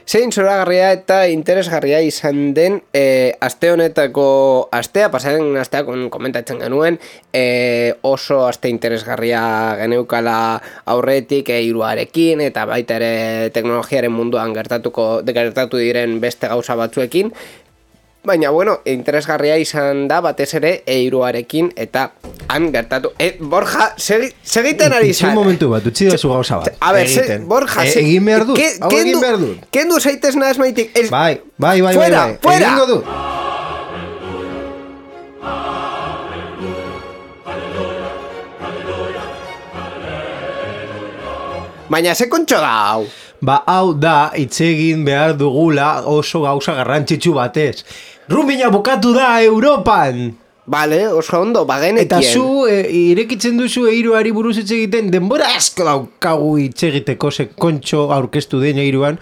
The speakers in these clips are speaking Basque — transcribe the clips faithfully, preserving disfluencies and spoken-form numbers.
Zein zoragarria eta interesgarria izan den e, aste honetako astea, pasaren astea komentatzen genuen, e, oso aste interesgarria geneukala aurretik e, hiruarekin eta baita ere teknologiaren munduan gertatuko gertatu diren beste gauza batzuekin. Baina, bueno, interesgarria izan da batez ere eiruarekin eta han gertatu. E, Borja, segi, segiten ari zan. Itxin momentu bat, utzi da zu gauza bat. A ber, se, Borja, e, egin behar dut, ke, hau egin behar dut. Kendu zaitez nahaz maitik. Ez, bai, bai, bai, fuera, bai, bai. Fuera, Egingo dut. Baina, ze kontxo da hau? Ba, hau da, hitz egin behar dugula oso gauza garrantzitsu batez. Rumina bukatu da Europan! Bale, oso ondo, bagenekien. Eta zu, e, irekitzen duzu eiruari buruz hitz egiten, denbora asko daukagu hitz egiteko, ze kontxo aurkeztu den eiruan.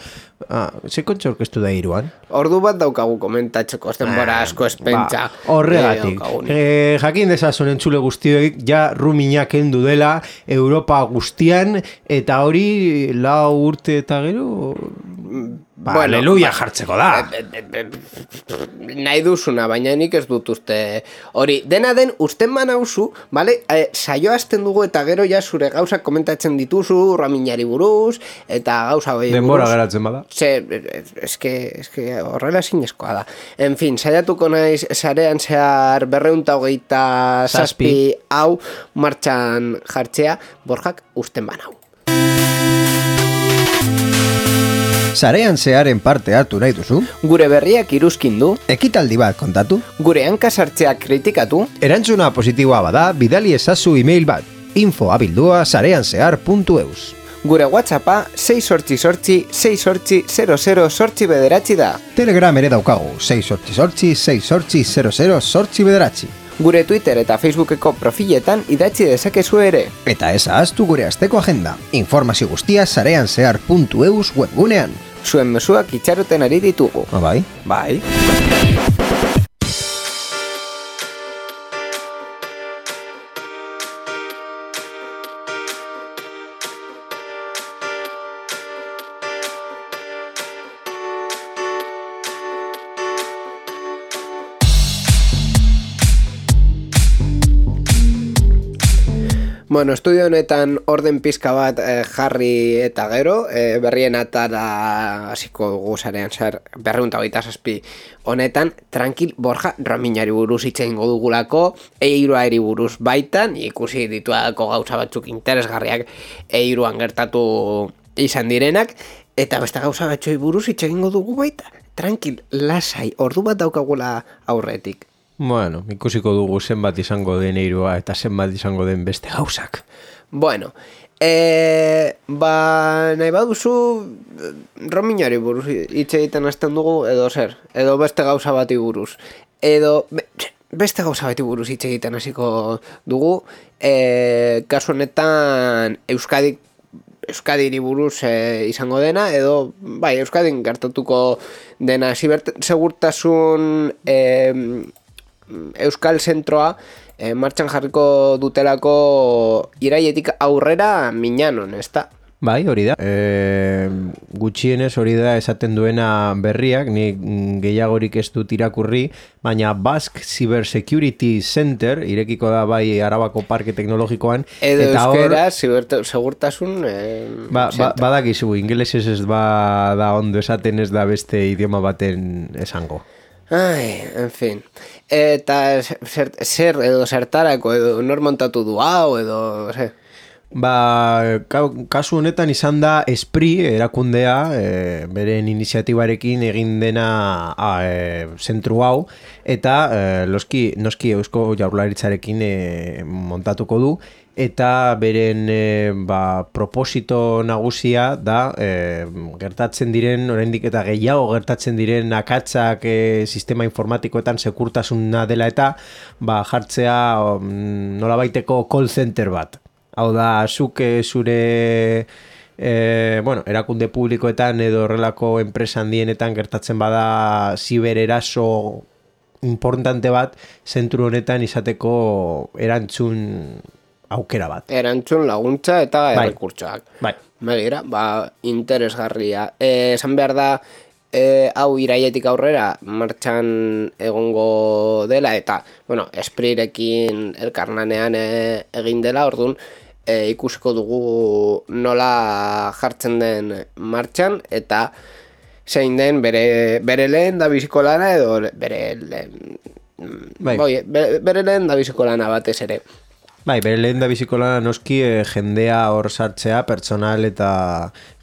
Ah, ze kontxo aurkeztu da eiruan? Ordu bat daukagu komentatzeko, denbora asko espentsa. Ba, horregatik. E, jakin dezazun entzule guztioik, ja Rumina kendu dela Europa guztian, eta hori lau urte eta gero... Ba, bueno, aleluia ba, jartzeko da. Nahi duzuna, baina nik ez dut uste. Hori, dena den, usten manauzu, vale? E, saio hasten dugu eta gero ja zure gauzak komentatzen dituzu, Raminari buruz, eta gauza hori buruz. Denbora geratzen bada. Ze, eske, eske horrela zinezkoa da. En fin, saiatuko naiz sarean zehar berreunta hogeita zazpi hau martxan jartzea, Borjak usten banau. Sarean zearen parte hartu nahi duzu? Gure berriak iruzkindu? Ekitaldi bat kontatu? Gure hankasartzeak kritikatu? Erantzuna positiboa bada, bidali ezazu e-mail bat. info abildua sareanzehar puntu eus. Gure WhatsAppa sei sortzi sortzi sei sortzi zero zero sortzi bederatzi da. Telegram ere daukagu, sei sortzi sortzi sei sortzi zero zero sortzi bederatzi. Gure Twitter eta Facebookeko profiletan idatzi dezakezu ere. Eta ez ahaztu gure asteko agenda. Informazio guztia sareanzehar puntu eus webgunean. Zuen mezuak itxaroten ari ditugu. Ah, bai? Bai. Bueno, estudio honetan orden pizka bat eh, jarri eta gero, eh, berrien atara hasiko dugu sarean zer berreunta hogeita zazpi honetan, tranquil, Borja, Raminari buruz hitz egingo dugulako, eiruari buruz baitan, ikusi dituako gauza batzuk interesgarriak eiruan gertatu izan direnak, eta beste gauza batzuei buruz hitz egingo dugu baita. Tranquil, lasai, ordu bat daukagula aurretik. Bueno, ikusiko dugu zenbat izango den eirua eta zenbat izango den beste gauzak. Bueno, e, ba, nahi baduzu Raminari buruz hitz egiten hasten dugu edo zer, edo beste gauza bati buruz. Edo beste gauza bati buruz hitz egiten hasiko dugu, e, kasu honetan Euskadik Euskadiri buruz e, izango dena, edo bai, Euskadin gertatuko dena segurtasun e, Euskal Zentroa e, martxan jarriko dutelako iraietik aurrera minanon, ez da? Bai, hori da. E, gutxienez hori da esaten duena berriak, ni gehiagorik ez dut irakurri, baina Basque Cyber Security Center irekiko da bai Arabako Parke Teknologikoan. Edo eta euskera, hor, segurtasun... E, ba, ba, badakizu, ingelesez ez ba da ondo esaten, ez da beste idioma baten esango. Ai, en fin. Eta zer, zer edo zertarako edo nor montatu du hau edo... Zer. Ba, kasu honetan izan da Esprit erakundea, e, beren iniziatibarekin egin dena a, e, zentru hau, eta e, loski, noski Eusko Jaurlaritzarekin e, montatuko du, eta beren e, ba, proposito nagusia da e, gertatzen diren, oraindik eta gehiago gertatzen diren akatzak e, sistema informatikoetan sekurtasuna dela eta ba, jartzea um, nolabaiteko call center bat. Hau da, zuk e, zure e, bueno, erakunde publikoetan edo horrelako enpresa handienetan gertatzen bada zibereraso importante bat, zentru honetan izateko erantzun aukera bat. Erantzun laguntza eta bai. errekurtsoak. Bai. Begira, ba, interesgarria. E, esan behar da, e, hau iraietik aurrera martxan egongo dela, eta, bueno, esprirekin elkarlanean e, egin dela, orduan, e, ikusiko dugu nola jartzen den martxan, eta zein den bere, bere lehen da biziko lana, edo bere lehen, bai. boi, bere, bere lehen da biziko lana batez ere. Bai, bere lehen da biziko lana noski e, jendea hor sartzea, pertsonal eta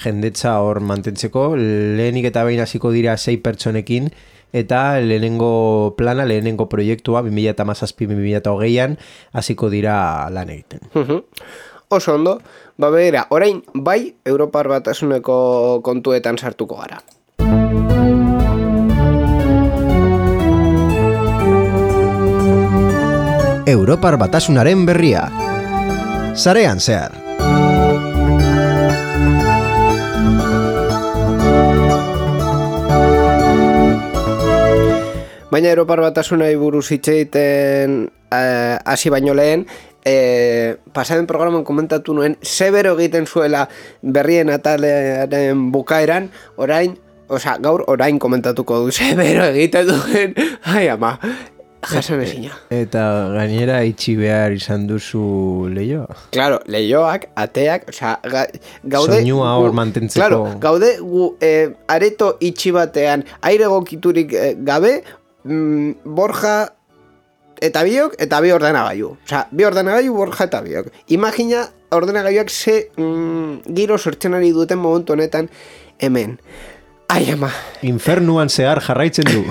jendetza hor mantentzeko, lehenik eta behin hasiko dira sei pertsonekin, eta lehenengo plana, lehenengo proiektua, bi mila hamazazpi bi mila hogeian hasiko dira lan egiten. Uh-huh. Oso ondo, ba begira, orain bai Europar Batasuneko kontuetan sartuko gara. Europar Batasunaren berria. Sarean zehar. Baina Europar Batasunari buruz hitz egiten hasi eh, baino lehen, eh, pasaden programan komentatu nuen zebero egiten zuela berrien atalearen bukaeran, orain, osea, gaur orain komentatuko du zebero egiten duen, ai ama, jasan ezina. Eta gainera itxi behar izan duzu leioa. Claro, leioak, ateak, osea, ga, gaude... Soinua hor mantentzeko. Claro, gaude gu, eh, areto itxi batean, aire egokiturik eh, gabe, mm, Borja eta biok, eta bi ordenagailu. Osea, bi ordenagailu, Borja eta biok. Imagina ordenagailuak ze mm, giro sortzen ari duten momentu honetan hemen. Ai, ama. Infernuan zehar jarraitzen du.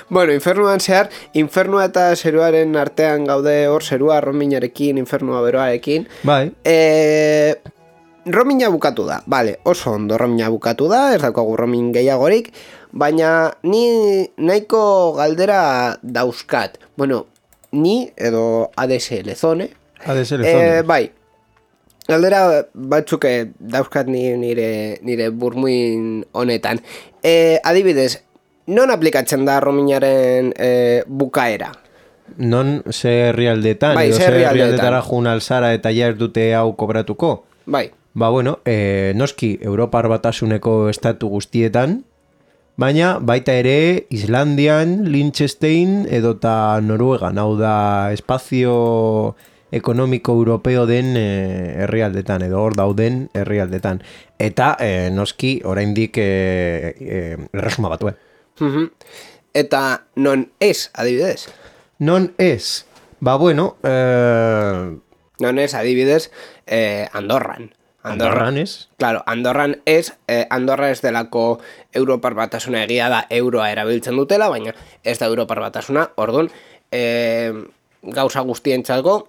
Bueno, infernuan zehar, infernua eta zeruaren artean gaude hor, zerua rominarekin, infernua beroarekin. Bai. E, romina bukatu da, bale, oso ondo romina bukatu da, ez daukagu romin gehiagorik, baina ni nahiko galdera dauzkat. Bueno, ni edo A D S L zone. A D S L zone. E, bai, galdera batzuk dauzkat ni, nire, nire burmuin honetan. E, adibidez, non aplikatzen da rominaren e, bukaera? Non ze herrialdetan, bai, edo ze ze herrialdetan. herrialdetara jun alzara eta ja ez dute hau kobratuko? Bai. Ba bueno, e, noski Europar Batasuneko estatu guztietan, baina baita ere Islandian, Liechtenstein edota Noruegan, hau da espazio ekonomiko europeo den e, herrialdetan, edo hor dauden herrialdetan. Eta e, noski oraindik e, e, erresuma batue. Uh-huh. Eta non ez, adibidez? Non ez. Ba bueno, eh... non ez, adibidez, eh, Andorran. Andorran ez? Claro, Andorran ez, eh, Andorra ez delako Europar Batasuna, egia da euroa erabiltzen dutela, baina ez da Europar Batasuna, orduan, eh, gauza guztientzako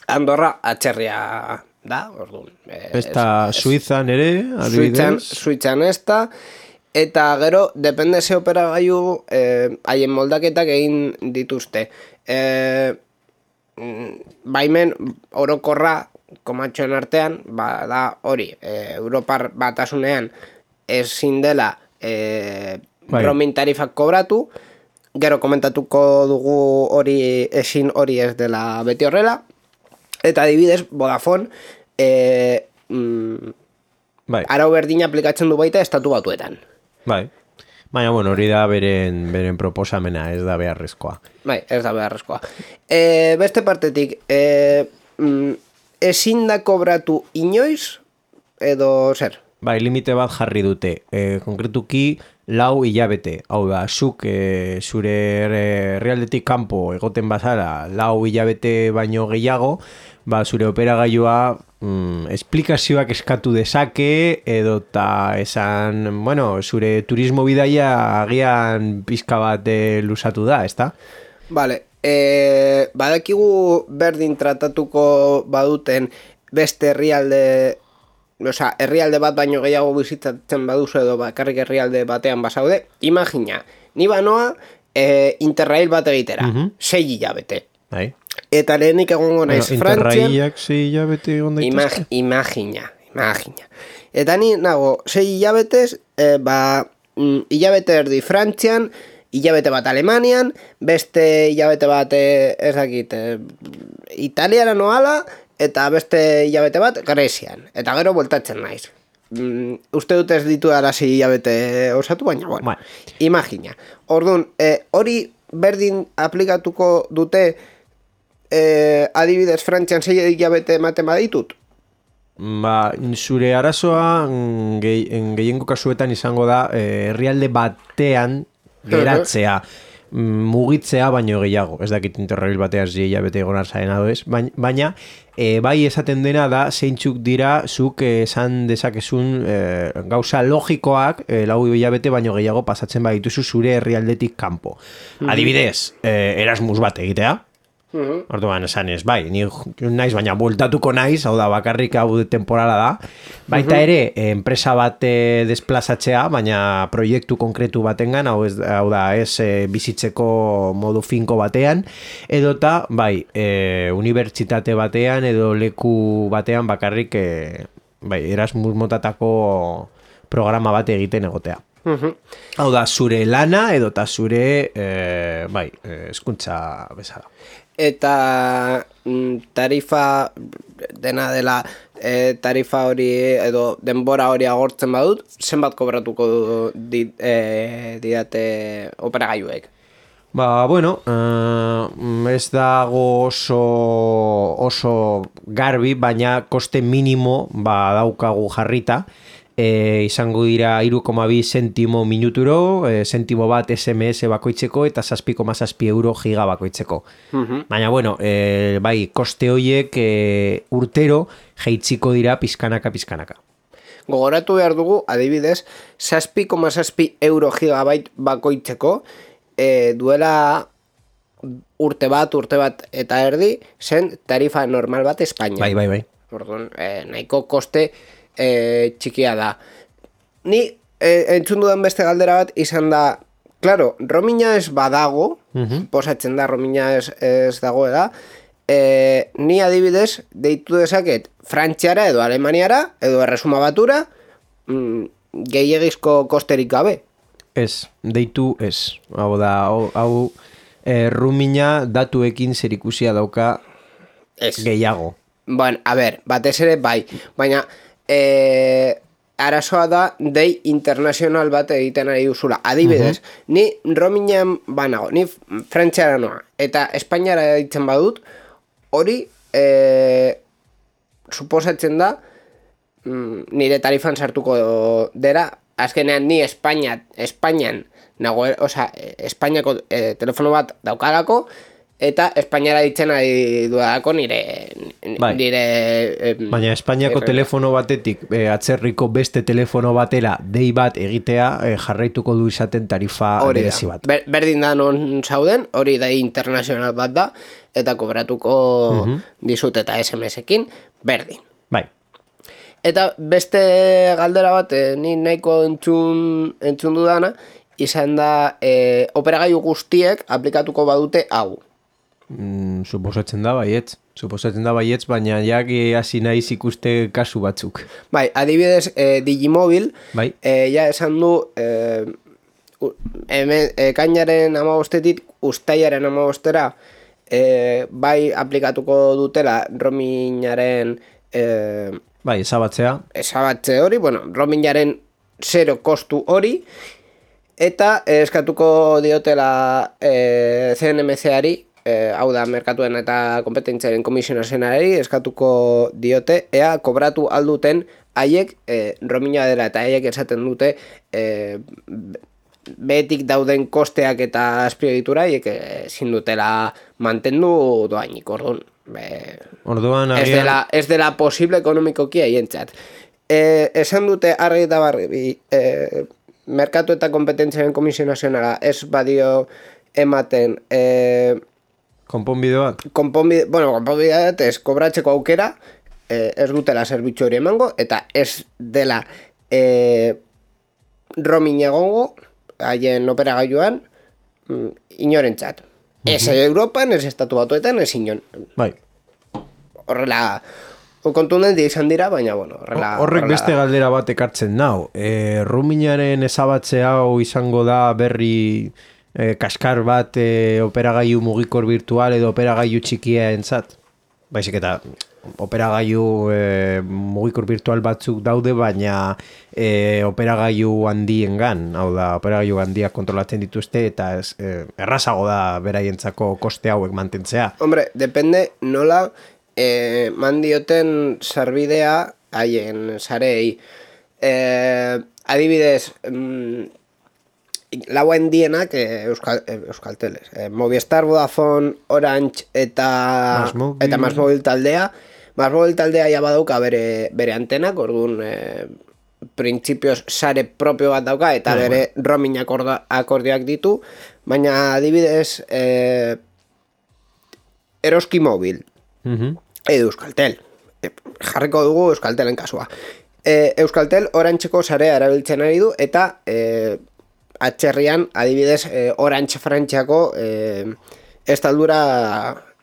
Andorra atxerria da, orduan. Eh, ez da Suizan ere, adibidez? Suitzan, Suitzan ez da, eta gero, depende ze operagailu, eh, haien moldaketak egin dituzte. Eh, baimen orokorra komatxoen artean, ba, da hori, eh, Europar Batasunean ezin dela eh, bai. roaming tarifak kobratu, gero komentatuko dugu hori ezin hori ez dela beti horrela, eta adibidez, Vodafone, eh, mm, bai. arau berdina aplikatzen du baita estatu batuetan. Bai. Baina, bueno, hori da beren, beren proposamena, ez da beharrezkoa. Bai, ez da beharrezkoa. E, beste partetik, e, mm, ezin da kobratu inoiz, edo zer? Bai, limite bat jarri dute. E, konkretuki, lau hilabete. Hau da, zuk e, zure herrialdetik kanpo egoten bazara lau hilabete baino gehiago, ba, zure operagailua mm, esplikazioak eskatu dezake, edo ta esan, bueno, zure turismo bidaia agian pizka bat e, lusatu da, ezta? Vale, e, badakigu berdin tratatuko baduten beste herrialde, osea, herrialde bat baino gehiago bizitatzen baduzu edo bakarrik herrialde batean basaude, imagina, ni banoa e, Interrail bat egitera, Mhm. sei hilabete. Bai. Eta lehenik egongo naiz Bueno, Frantzian, Interrailak sei hilabete egon imag, daitezke. imagina, imagina. Eta ni nago, sei hilabetez, e, ba, mm, hilabete erdi Frantzian, hilabete bat Alemanian, beste hilabete bat, e, ez dakit, e, Italiara noala, eta beste hilabete bat Grezian. Eta gero bueltatzen naiz. Mm, uste dut ez ditu arazi hilabete osatu, baina, bueno, Bai. imagina. Orduan, e, hori berdin aplikatuko dute, e, adibidez Frantzian sei hilabete ematen baditut? Ba, zure arazoa mm, gehi- en gehiengo kasuetan izango da eh, herrialde batean geratzea, mm, mugitzea baino gehiago. Ez dakit Interrail bateaz hilabete egon arzaren ado ez, baina, baina e, bai esaten dena da zeintzuk dira zuk eh, esan dezakezun eh, gauza logikoak eh, lau hilabete baino gehiago pasatzen badituzu zure herrialdetik kanpo. Adibidez, eh, Erasmus bat egitea, orduan esan ez, bai, ni naiz, baina bueltatuko naiz, hau da, bakarrik hau temporala da. Baita ere, enpresa bat eh, desplazatzea, baina proiektu konkretu batengan, hau, ez, hau da, ez eh, bizitzeko modu finko batean, edota, bai, eh, unibertsitate batean, edo leku batean bakarrik, eh, bai, Erasmus motatako programa bat egiten egotea. Hau da, zure lana, edota zure, eh, bai, eh, hezkuntza bezala. Eta mm, tarifa dena dela e, tarifa hori edo denbora hori agortzen badut, zenbat kobratuko di, e, didate operagailuek? Ba, bueno, uh, ez dago oso, oso garbi, baina koste minimo ba, daukagu jarrita. E, izango dira hiru koma bi zentimo minuturo, e, zentimo bat S M S bakoitzeko eta zazpi koma zazpi euro giga bakoitzeko. Baina, bueno, e, bai, koste horiek e, urtero jeitziko dira pizkanaka pizkanaka. Gogoratu behar dugu, adibidez, zazpi koma zazpi euro gigabait bakoitzeko, e, duela urte bat, urte bat eta erdi, zen tarifa normal bat Espainia. Bai, bai, bai. Orduan, e, nahiko koste e, txikia da. Ni e, entzun dudan beste galdera bat izan da, claro, roamina ez badago, posatzen da roamina ez, ez dagoela, e, ni adibidez deitu dezaket Frantziara edo Alemaniara edo Erresuma Batura mm, gehiagizko kosterik gabe. Ez, deitu ez. Hau da, hau, hau e, roamina datuekin zerikusia dauka Ez. gehiago. Bueno, a ber, batez ere bai, baina e, arazoa da dei internazional bat egiten ari duzula. Adibidez, ni roaminean banago, ni Frantziara noa, eta Espainiara ditzen badut, hori e, suposatzen da mm, nire tarifan sartuko dera, azkenean ni Espainia, Espainian nago, osea, Espainiako e, telefono bat daukalako, eta Espainiara ditzen ari duadako nire, Bai. nire eh, Baina Espainiako erre- telefono batetik e, atzerriko beste telefono batera dei bat egitea e, jarraituko du izaten tarifa hori da. berezi bat. Ber, berdin da non zauden, hori da internazional bat da, eta kobratuko dizut eta S M S-ekin, berdin. Bai. Eta beste galdera bat, eh, ni nahiko entzun, entzun dudana, izan da eh, operagailu guztiek aplikatuko badute hau. Mm, suposatzen da baietz. Suposatzen da baietz, baina jak hasi naiz ikuste kasu batzuk. Bai, adibidez, eh, Digimobil, Bai. eh, ja esan du, eh, u- hemen, ekainaren amabostetik ustaiaren amabostera, eh, bai aplikatuko dutela roamingaren eh, Bai, ezabatzea. ezabatze hori, bueno, roamingaren zero kostu hori, eta eh, eskatuko diotela eh, C N M C-ari, eh, hau da, merkatuen eta kompetentziaren komisionazionari, eskatuko diote, ea kobratu alduten haiek eh, roaminga dela, eta haiek esaten dute eh, behetik dauden kosteak eta azpiegitura haiek ezin dutela mantendu doainik, orduan. Be, Orduan ez agian dela, ez dela posible ekonomikoki haientzat. E, esan dute argi eta barri, e, merkatu eta kompetentziaren komisio nazionala ez badio ematen e, Konponbide bat? Konponbide, bueno, konponbide bat ez kobratzeko aukera, eh, ez dutela zerbitzu hori emango, eta ez dela eh, roaming egongo, haien operagailuan, mm, inorentzat. Uh-huh. Ez Europan, ez estatu batuetan, ez inon. Bai. Horrela, kontundente izan dira, baina, bueno, horrela... Horrek horrela beste da. galdera bat ekartzen nau. E, roamingaren ezabatze hau izango da berri e, kaskar bat e, operagailu mugikor virtual edo operagailu txikia entzat? Baizik eta operagailu e, mugikor virtual batzuk daude, baina e, operagailu handiengan, hau da, operagailu handiak kontrolatzen dituzte, eta ez, e, errazago da beraientzako koste hauek mantentzea. Hombre, depende nola... E, mandioten sarbidea haien sarei. E, adibidez, mm, lauen dienak e, Euskal, e, Euskalteles. E, Movistar, Vodafone, Orange eta Masmobil. eta Masmobil taldea. Masmobil taldea ja badauka bere, bere antenak, orduan e, printzipioz sare propio bat dauka eta no, bere bueno. roaming akorda, akordioak ditu, baina adibidez e, Eroski Mobil. Uh-huh. Edo Euskaltel. E, jarriko dugu Euskaltelen kasua. E, Euskaltel Orantxeko sarea erabiltzen ari du eta e, atxerrian adibidez e, Orantxe Frantziako e, estaldura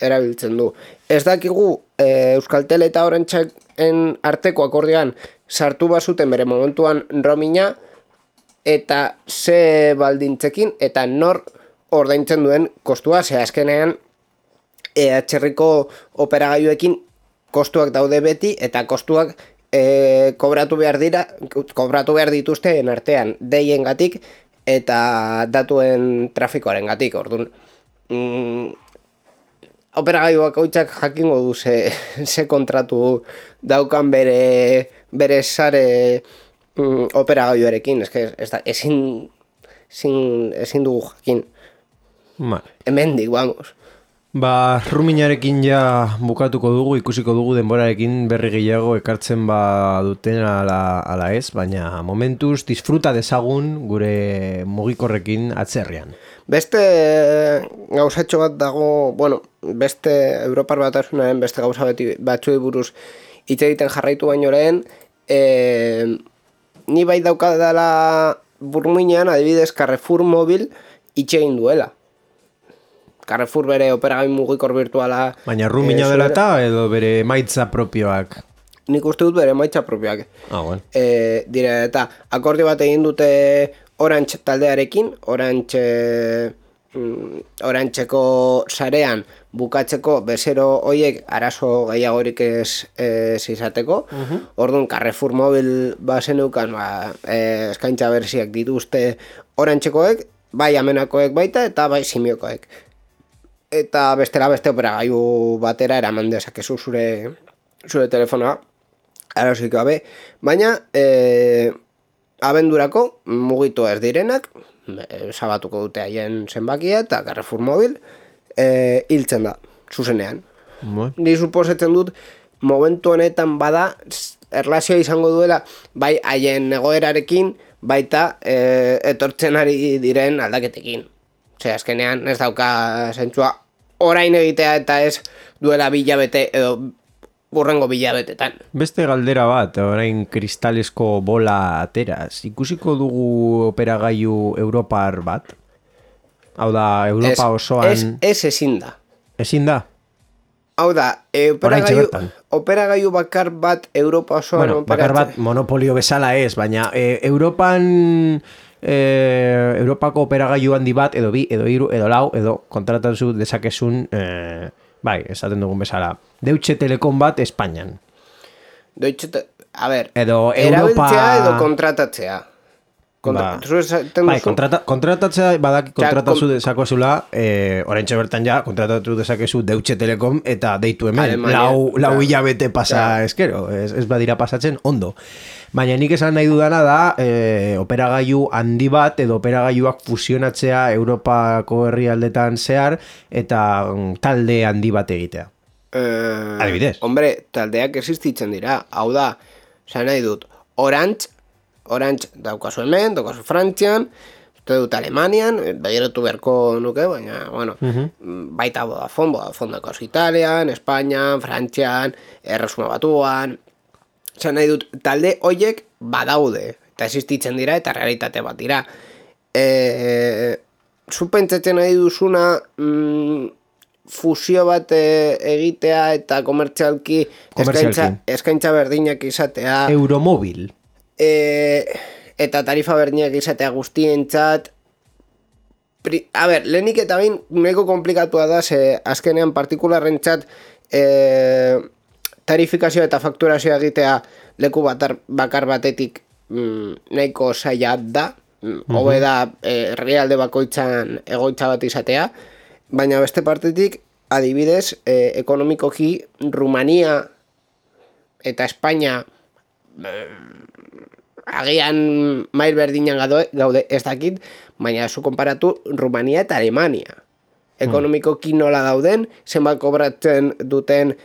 erabiltzen du. Ez dakigu e, Euskaltel eta Orantxen arteko akordioan sartu bazuten bere momentuan roaminga eta ze baldintzekin eta nor ordaintzen duen kostua, ze azkenean E, atxerriko operagailuekin kostuak daude beti eta kostuak e, kobratu behar dira, kobratu behar dituzten artean deiengatik eta datuen trafikoaren gatik. Orduan, mm, operagailuak hauitzak jakingo du ze, ze kontratu daukan bere, bere sare mm, operagailuarekin, eske ez da, ezin, ezin, ezin dugu jakin. Vale. Hemendik, vamos. Ba, ruminarekin ja bukatuko dugu, ikusiko dugu denborarekin berri gehiago ekartzen ba duten ala, ala ez, baina momentuz disfruta dezagun gure mugikorrekin atzerrian. Beste gauzatxo bat dago, bueno, beste Europar Batasunaren beste gauza beti batzuei buruz hitz egiten jarraitu baino lehen, e, ni bai daukadala burmuinean, adibidez Carrefour Mobil hitz egin duela. Carrefour bere operagailu mugikor virtuala... Baina rumina dela eta edo bere maitza propioak? Nik uste dut bere maitza propioak. Ah, bueno. E, dire, eta akordio bat egin dute Orange taldearekin, Orange, mm, Orangeko sarean bukatzeko bezero hoiek arazo gehiagorik ez, ez izateko. Uh-huh. Orduan, Carrefour Mobil bazeneukan ba, e, eskaintza berziak dituzte Orangekoek, bai amenakoek baita eta bai simiokoek. Eta bestela beste operagailu batera eraman dezakezu zure, zure telefonoa, arazoik gabe, baina e, abendurako mugitu ez direnak, e, zabatuko dute haien zenbakia eta Carrefour Mobil e, hiltzen da, zuzenean. Bueno. Ni suposatzen dut, momentu honetan bada, erlazioa izango duela, bai haien egoerarekin, baita e, etortzen ari diren aldaketekin. Ose, azkenean ez dauka zentzua orain egitea eta ez duela bilabete edo burrengo bilabetetan. Beste galdera bat, orain kristalesko bola ateraz. Ikusiko dugu operagailu Europar bat? Hau da, Europa ez, osoan... Ez, ez ezin da. Ezin da? Hau da, e, operagailu, operagailu bakar bat Europa osoan... Bueno, bakar bat monopolio bezala ez, baina e, Europan... E, Europako operagailu handi bat, edo bi, edo hiru, edo lau, edo kontratatu dezakezun, e, bai, esaten dugun bezala, Deutsche Telekom bat Espainian. Deutsche, a ber, edo erabiltzea Europa... edo kontratatzea. Kontra... Ba, bai, kontrata, kontratatzea badak kontratatu kon... dezakezula, e, oraintxe bertan ja, kontratatu dezakezu Deutsche Telekom eta deitu hemen, Alemania, lau, lau hilabete pasa ja. Eskero, ez, ez badira pasatzen ondo. Baina nik esan nahi dudana da e, operagailu handi bat edo operagailuak fusionatzea Europako herrialdetan zehar eta mm, talde handi bat egitea. Eh, Adibidez. Hombre, taldeak existitzen dira. Hau da, esan nahi dut, Orange, Orange daukazu hemen, daukazu Frantzian, uste dut Alemanian, begiratu beharko nuke, baina, bueno, baita Vodafone, Vodafone dakoz Italian, Espainian, Frantzian, Erresuma Batuan, zan nahi dut, talde hoiek badaude, eta existitzen dira, eta realitate bat dira. E, zu pentsatzen nahi duzuna mm, fusio bat e, egitea eta komertzialki eskaintza, eskaintza berdinak izatea. Euromobil. E, eta tarifa berdinak izatea guztientzat. Pri, a ber, lehenik eta bain nahiko komplikatua da, ze azkenean partikularrentzat e, tarifikazio eta fakturazioa egitea leku batar, bakar batetik mm, nahiko zaila da. Hobe da eh, realde bakoitzan egoitza bat izatea, baina beste partetik, adibidez, eh, ekonomikoki Rumania eta Espainia eh, agian mail berdinan gaude, gaude ez dakit, baina zu konparatu Rumania eta Alemania. Ekonomikoki nola dauden, zenbat kobratzen duten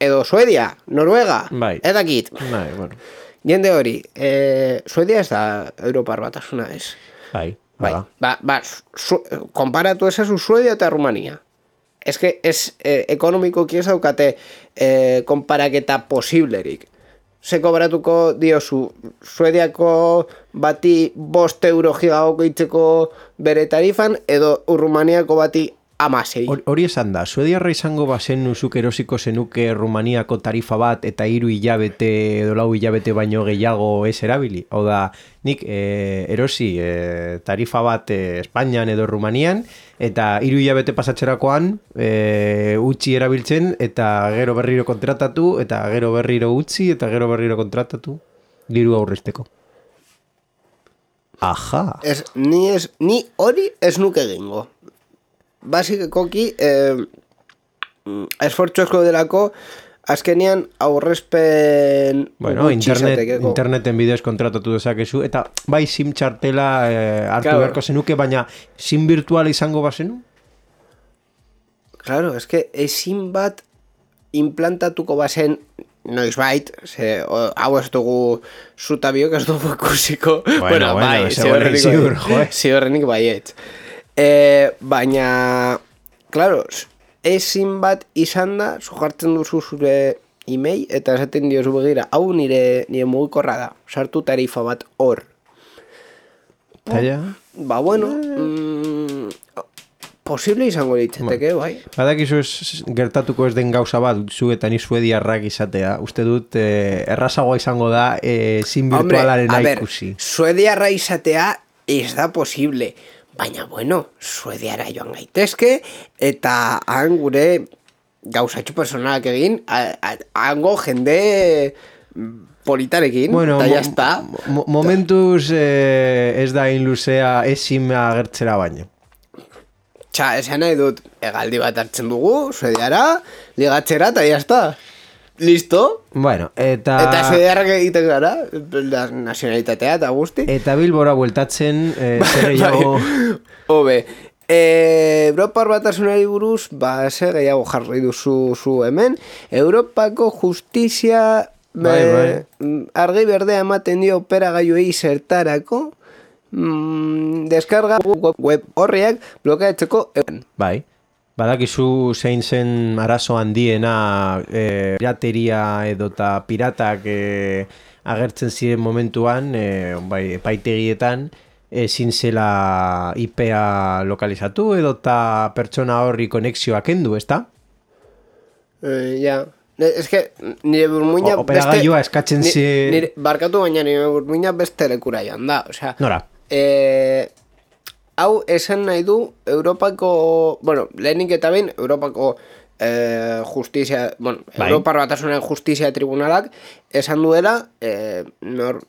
edo Suedia, Noruega, bai. ez dakit. Bai, bueno. Jende hori, eh, Suedia ez da Europar batasuna ez. Bai, bai. Ba, ba, su, konparatu esazu Suedia eta Rumania. Ez que ez eh, ekonomikoki ez daukate eh, konparaketa posiblerik. Ze kobratuko diozu Suediako bati bost euro gigagoko itzeko bere tarifan, edo Rumaniako bati amasei. Hori esan da, Suediarra izango bazen nuzuk erosiko zenuke Rumaniako tarifa bat eta hiru hilabete edo lau hilabete baino gehiago ez erabili. Hau da, nik e, erosi e, tarifa bat e, Espainian edo Rumanian eta hiru hilabete pasatzerakoan e, utzi erabiltzen eta gero berriro kontratatu eta gero berriro utzi eta gero berriro kontratatu diru aurrezteko. Aja. Ez, ni, ez, ni hori ez nuke egingo. Basikoki, eh, esfortzu esko delako, azkenean aurrezpen bueno, internet, interneten bidez kontratatu dezakezu, eta bai sim txartela eh, hartu claro. Beharko zenuke, baina sim virtual izango bazenu? Claro, es que sim bat implantatuko bazen noizbait, ze, o, hau ez dugu zutabiok ez dugu ikusiko, bueno, bueno, bai, bueno ziurrenik baiet. E, baina, claro, ezin bat izan da, zuhartzen duzu zure email, eta esaten diozu begira, hau nire, nire mugikorra da, sartu tarifa bat hor. Taia? Ba, bueno, mm, posible izango ditzeteke, bai. Badakizu ez gertatuko ez den gauza bat, zu eta ni suediarrak izatea, uste dut eh, errazagoa izango da eh, zin virtualaren ikusi. Suediarra izatea ez da posible. Baina, bueno, Suediara joan gaitezke, eta han gure gauzatxo personalak egin, hango jende politarekin, bueno, eta jazta. Mo momentuz eh, ez da inluzea ezin agertzera baino. Txa, esan nahi dut, egaldi bat hartzen dugu, Suediara, ligatzera, eta jazta. Listo? Bueno, eta... Eta Suediarrak egiten gara, nazionalitatea eta guzti. Eta Bilbora bueltatzen, eh, zer gehiago... Hobe, eh, Europar batasunari buruz, ba, zer gehiago jarri duzu zu hemen. Europako justizia bai, bai. argi berdea ematen dio operagailuei zertarako, mm, deskarga web horriak blokeatzeko egun. Bai. Badakizu zein zen arazo handiena e, pirateria edota piratak e, agertzen ziren momentuan, e, bai, epaitegietan, ezin zela I P-a lokalizatu edota pertsona horri konexioa kendu, ezta? Eh, ja. Ez que nire burmuina... Operagailua eskatzen zi... Nire, barkatu baina nire burmuina beste lekura joan da, osea... Nora? Eh... Hau esan nahi du Europako, bueno, lehenik eta behin Europako eh, justizia, bueno, bai. Europar batasunen justizia tribunalak esan duela, eh, nor,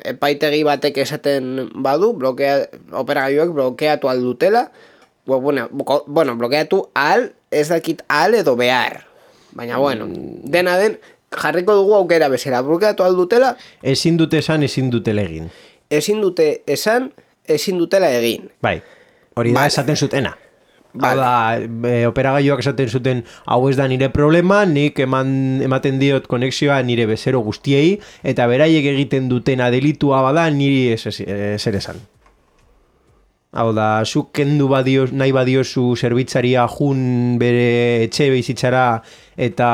epaitegi batek esaten badu, blokea, operagailuek blokeatu aldutela, bueno, bueno, blokeatu ahal, ez dakit ahal edo behar. Baina, bueno, dena den, jarriko dugu aukera bezala, blokeatu aldutela. Ezin dute esan, ezin dutela egin. Ezin dute esan, ezin dutela egin. Bai, hori da esaten zutena. Hau da, e, operagailuak esaten zuten, hau ez da nire problema, nik eman, ematen diot konexioa nire bezero guztiei, eta beraiek egiten dutena delitua bada niri zer esan. Hau da, zuk kendu badio, nahi badiozu zerbitzaria jun bere etxe bizitzara eta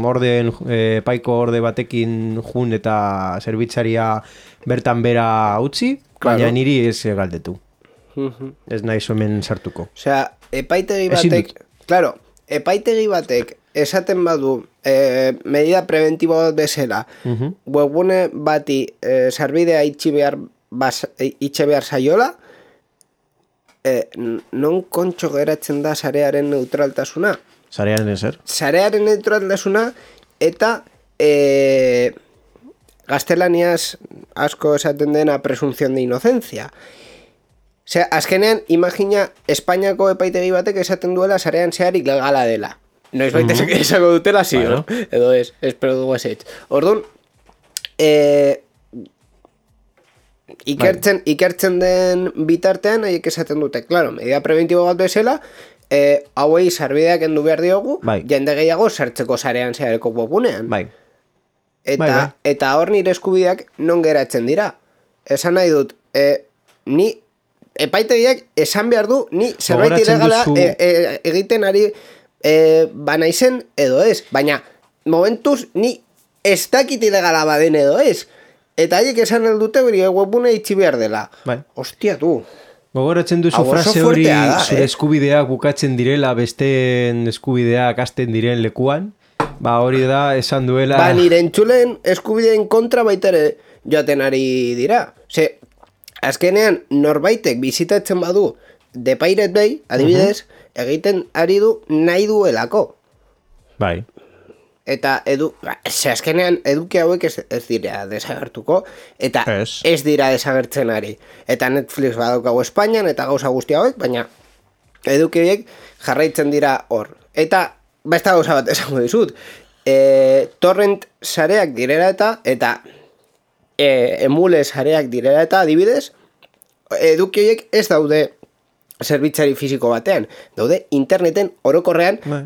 orden, e, paiko orde batekin jun eta zerbitzaria bertan bera utzi, Claro. baina niri ez galdetu. Ez nahi zomen sartuko. Osea, epaitegi Ezin batek, claro, epaitegi batek esaten badu eh, medida preventibo bat bezala, Mhm. webgune bati eh, sarbidea itxi behar, bas, itxe behar saiola, eh, non kontxo geratzen da sarearen neutraltasuna? Zarean ezer? Sarearen neutraltasuna eta eh, gaztelaniaz asko esaten dena presunción de inocencia. Osea, azkenean, imagina Espainiako epaitegi batek esaten duela sarean zeharik legala dela. Noiz baita mm -hmm. esako dutela, sí, Bueno. no? Edo ez, espero dugu ez etx. Orduan, eh, ikertzen, ikertzen den bitartean, haiek esaten dute, claro, medida preventibo bat bezala, eh, hauei sarbideak endu behar diogu, Bai. jende gehiago sartzeko sarean zehareko webgunean. Bai. Eta, Bai, bai. eta hor nire eskubideak non geratzen dira. Esan nahi dut, e, ni epaitegiak esan behar du, ni zerbait Gogoratzen ilegala duzu- e, e, egiten ari e, banaizen edo ez. Baina, momentuz, ni ez dakit ilegala baden edo ez. Eta haiek esan aldute beri webune itxi behar dela. Bai. Ostia, du. Gogoratzen duzu Hau oso frase hori fuertea da, zure eh? eskubideak bukatzen direla besteen eskubideak hasten diren lekuan, ba hori da esan duela... Ba, nire entzulen eskubideen kontra baita ere joaten ari dira. Ze, azkenean norbaitek bizitatzen badu The Pirate Bay, adibidez, egiten ari du nahi duelako. Bai. Eta edu, ba, ze azkenean eduki hauek ez, ez dira desagertuko, eta Ez. ez dira desagertzen ari. Eta Netflix badaukagu Espainian, eta gauza guzti hauek, baina eduki horiek jarraitzen dira hor. Eta besta gauza bat esango dizut, e, torrent sareak direla eta, eta e, emule sareak direla eta, adibidez, eduki horiek ez daude zerbitzari fisiko batean, daude interneten orokorrean, Bai.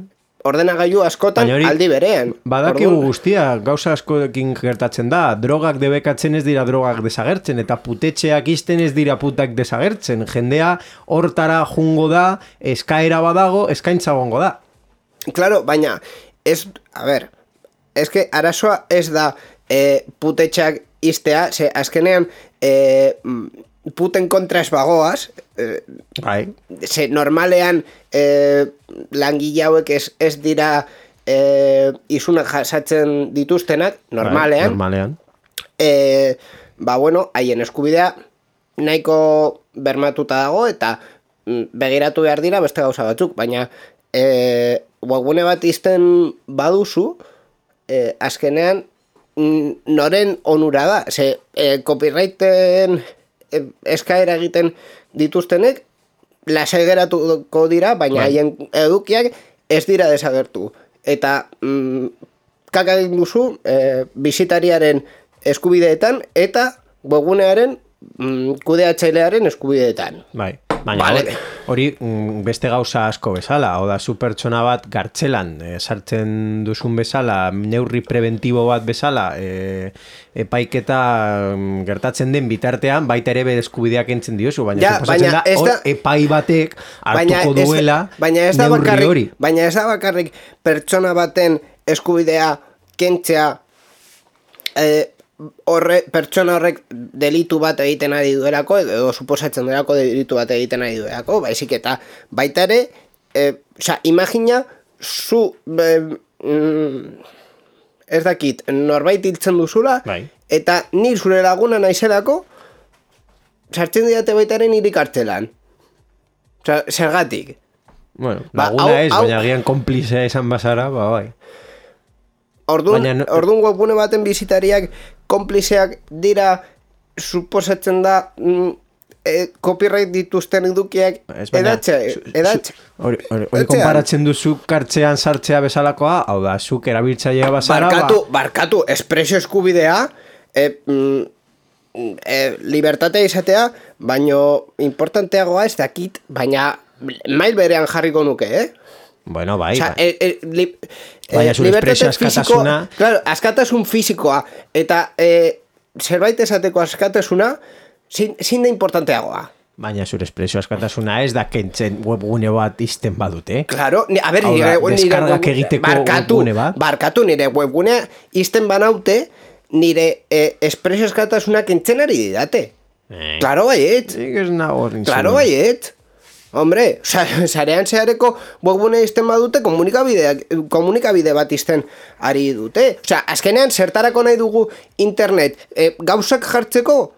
ordenagailu askotan Baina hori aldi berean. Badakigu Orduan, guztia, gauza askoekin gertatzen da, drogak debekatzen ez dira drogak desagertzen, eta putetxeak izten ez dira putak desagertzen. Jendea hortara jungo da, eskaera badago, eskaintza gongo da. Claro, baina, ez, a ber, ez que arazoa ez da e, putetxak iztea, ze azkenean e, puten kontra ez bagoaz, e, Bai. ze normalean e, langile hauek ez, ez dira e, isunak jasatzen dituztenak, normalean, Bai, normalean. e, ba bueno, haien eskubidea nahiko bermatuta dago eta mm, begiratu behar dira beste gauza batzuk, baina e, webgune bat izten baduzu, e, azkenean mm, noren onura da, ze e, copyrighten e, eskaera egiten dituztenek lasai geratuko dira, baina Bai. haien edukiak ez dira desagertu. Eta mm, kaka egin duzu e, bisitariaren eskubideetan eta webgunearen mm, kudeatzailearen eskubideetan. Bai. Baina Vale. hori- hori mm, beste gauza asko bezala, oda zu pertsona bat gartzelan e, sartzen duzun bezala, neurri preventibo bat bezala, e, epaiketa mm, gertatzen den bitartean, baita ere bere eskubideak entzen diozu, baina Ja, suposatzen baina da ez hor da- epai batek Baina hartuko ez- duela baina ez da neurri bakarrik, hori. baina ez da bakarrik pertsona baten eskubidea kentzea eh, horre, pertsona horrek delitu bat egiten ari duelako edo suposatzen duelako delitu bat egiten ari duelako, baizik eta baita ere eh, oza, imagina zu eh, mm, ez dakit, norbait hiltzen duzula Bai. eta ni zure laguna naizelako sartzen didate baita ere niri kartzelan. Oza, zergatik. Bueno, Ba, laguna hau- ez, hau- baina agian konplizea esan bazara, ba, bai. Orduan, Baina no- orduan webgune baten bizitariak konplizeak dira suposatzen da mm, e, copyright dituzten edukiak Ez, baina, edatxe, zu- zu- edatxe. Hori hori- hori Etxean. konparatzen duzu kartzean sartzea bezalakoa, hau da, zuk erabiltzailea bazara, Barkatu, ba, barkatu, espresio eskubidea, e, mm, e, libertatea izatea, baino importanteagoa ez dakit, baina mail berean jarriko nuke, eh? bueno, bai, Osea, bai. e, e, li, Baina zure libertate espresio askatasuna- fisiko- Claro, askatasun fisikoa eta e, zerbait esateko askatasuna zin, zin da importanteagoa. Baina zure espresio askatasuna ez da kentzen webgune bat izten badute. Claro, ni, a ber, Hau da, nire, nire deskargak web- egiteko barkatu, webgune bat. barkatu nire webgunea izten banaute, nire eh, espresio askatasuna kentzen ari didate. Eh. Claro baiet, Nik ez nago nintzen. claro baiet. Hombre, sa- sarean zehareko webgune izten badute komunikabideak, komunikabide bat izten ari dute. Osea, azkenean zertarako nahi dugu internet eh, gauzak jartzeko,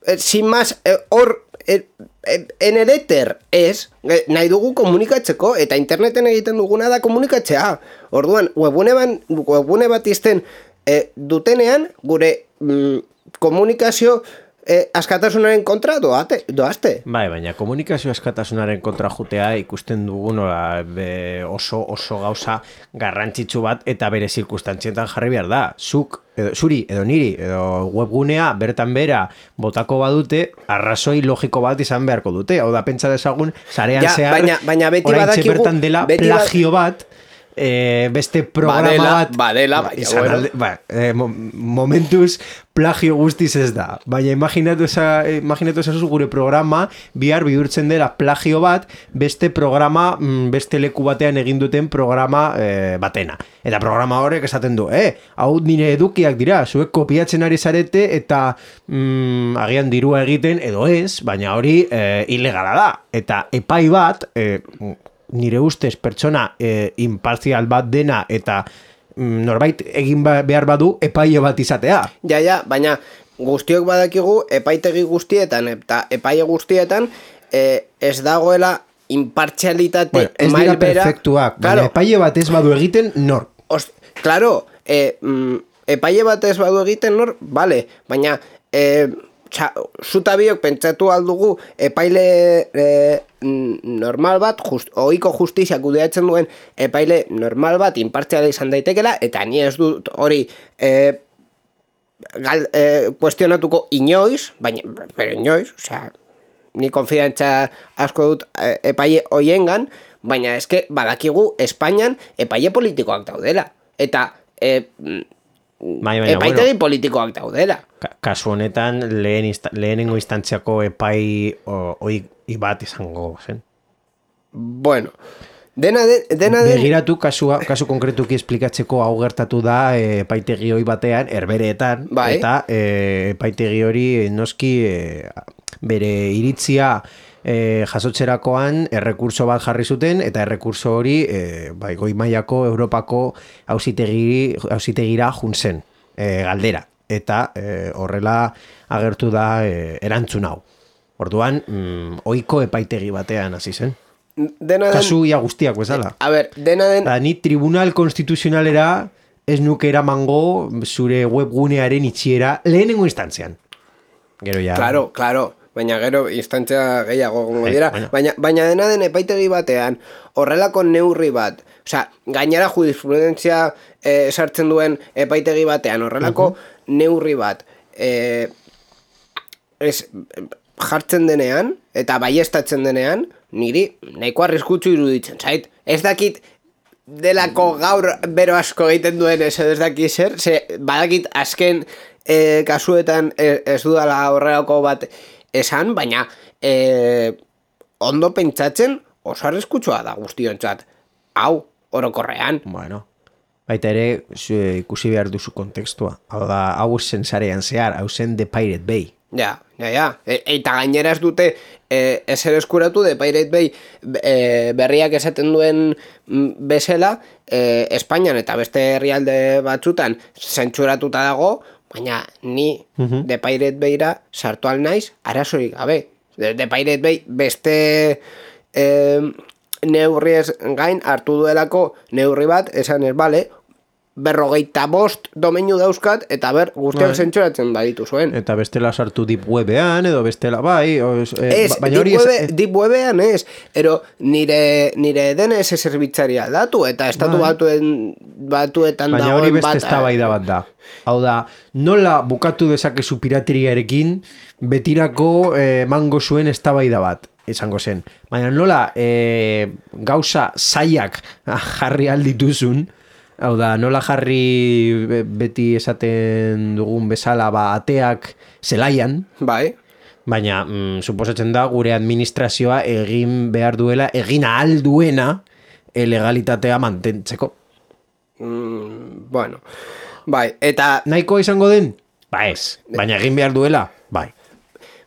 eh, sin más, eh, hor eh, eh, en el éter ez, eh, nahi dugu komunikatzeko, eta interneten egiten duguna da komunikatzea. Orduan, webgune, ban, webgune bat izten eh, dutenean, gure mm, komunikazio eh, askatasunaren kontra doate, doazte. Bai, baina komunikazio askatasunaren kontra jutea ikusten dugu nola be, oso oso gauza garrantzitsu bat eta bere zirkustantzietan jarri behar da. Zuk, edo, zuri, edo niri, edo webgunea bertan bera botako badute, arrazoi logiko bat izan beharko dute. Hau da, pentsa dezagun, sarean Ja, zehar, baina- baina beti oraintxe badakigu- bertan dela beti ba- plagio bat, eh, beste programa Badela, bat badela, ba, baina, izan bueno. alde- ba, eh, mo- momentuz plagio guztiz ez da, baina imaginatu eza, imaginatu ezazu gure programa bihar bihurtzen dela plagio bat beste programa, mm, beste leku batean egin duten programa eh, batena, eta programa horrek esaten du, eh, hau nire edukiak dira, zuek kopiatzen ari zarete eta mm, agian dirua egiten edo ez, baina hori eh, ilegala da, eta epai bat eh, nire ustez pertsona eh, imparzial bat dena eta mm, norbait egin ba- behar badu epaile bat izatea. Ja, ja, baina guztiok badakigu epaitegi guztietan eta epaile guztietan eh, ez dagoela impartzialitate Bueno, ez dira mailbera. perfektuak, baina Claro, epaile bat ez badu egiten nor. os, claro, eh, mm, epaile bat ez badu egiten nor, vale, baina eh, txa, zuta biok pentsatu aldugu epaile eh, normal bat, just, ohiko justizia kudeatzen duen epaile normal bat impartziala izan daitekela, eta ni ez dut hori eh, gal, eh, kuestionatuko inoiz, baina, pero inoiz, osea, ni konfidantza asko dut eh, epaile hoiengan, baina eske badakigu Espainian epaile politikoak daudela, eta eh, Bai, baina, epaitegi politikoak daudela. Ka- kasu honetan lehen insta, lehenengo instantziako epai o, oi bat izango zen. Bueno, dena den, dena den, Begiratu kasua, kasu konkretuki esplikatzeko hau gertatu da e, epaitegi hori batean, herbereetan, Bai. eta e, epaitegi hori e, noski e, bere iritzia e, jasotzerakoan errekurso bat jarri zuten, eta errekurso hori e, bai, goi mailako Europako auzitegi auzitegira jun zen, e, galdera, eta e, horrela agertu da e, erantzun hau. Orduan, mm, ohiko epaitegi batean hasi zen. dena den, Kasu ia guztiak bezala. a ber, dena den, Da, ni tribunal konstituzionalera ez nuke eramango zure webgunearen itxiera lehenengo instantzian. Gero ja... claro, claro, baina gero instantzia gehiago gongo Eh, dira, bueno. baina, baina dena den epaitegi batean, horrelako neurri bat, osea, gainera jurisprudentzia eh, sartzen duen epaitegi batean, horrelako neurri bat, eh, ez, jartzen denean, eta baiestatzen denean, niri nahiko arriskutsu iruditzen zait. Ez dakit delako gaur bero asko egiten duen ez ez dakit zer, ze badakit azken eh, kasuetan ez, ez dudala horrelako bat esan, baina eh, ondo pentsatzen oso arriskutsua da guztiontzat. Hau, orokorrean. Bueno, baita ere zu, ikusi behar duzu kontekstua. Hau da, hau zen sarean zehar, hau zen The Pirate Bay. Ja, ja, ja. E, eta gainera ez dute e, ezer eskuratu de Pirate Bay e, berriak esaten duen mm, bezala e, Espainian eta beste herrialde batzutan zentsuratuta dago, baina ni Mhm. de Pirate Bayra sartu al naiz arazorik gabe. De, de Pirate Bay beste e, neurriez gain hartu duelako neurri bat, esan ez, bale, berrogeita bost domeinu dauzkat, eta ber, guztiak Bai. zentsuratzen baditu zuen. Eta bestela sartu deep webean, edo bestela bai, o, e, Ez, baina deep, hori ez... webe, deep webean ez, ero nire, nire D N S zerbitzari aldatu, eta estatu Bai. batuen, batuetan Baina hori dagoen beste bat. eztabaida bat da. Hau da, nola bukatu dezakezu pirateriarekin betirako eh, mango zuen eztabaida bat izango zen. Baina nola eh, gauza zaiak jarri aldituzun, hau da, nola jarri be- beti esaten dugun bezala ba, ateak zelaian, Bai, Baina, mm, suposatzen da, gure administrazioa egin behar duela, egin ahal duena legalitatea mantentzeko. Mm, bueno, bai, eta... Nahiko izango den? Ba ez, baina egin behar duela? Bai.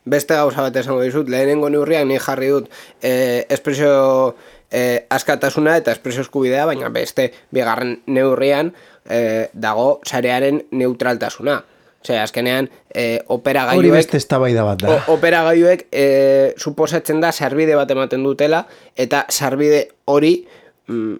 Beste gauza bat esango dizut, lehenengo neurriak ni jarri dut eh, espresio eh, askatasuna eta espresio eskubidea, baina beste bigarren neurrian eh, dago sarearen neutraltasuna. Osea, azkenean eh, operagailuek... Hori beste eztabaida bat da. O, operagailuek eh, suposatzen da sarbide bat ematen dutela, eta sarbide hori... Mm,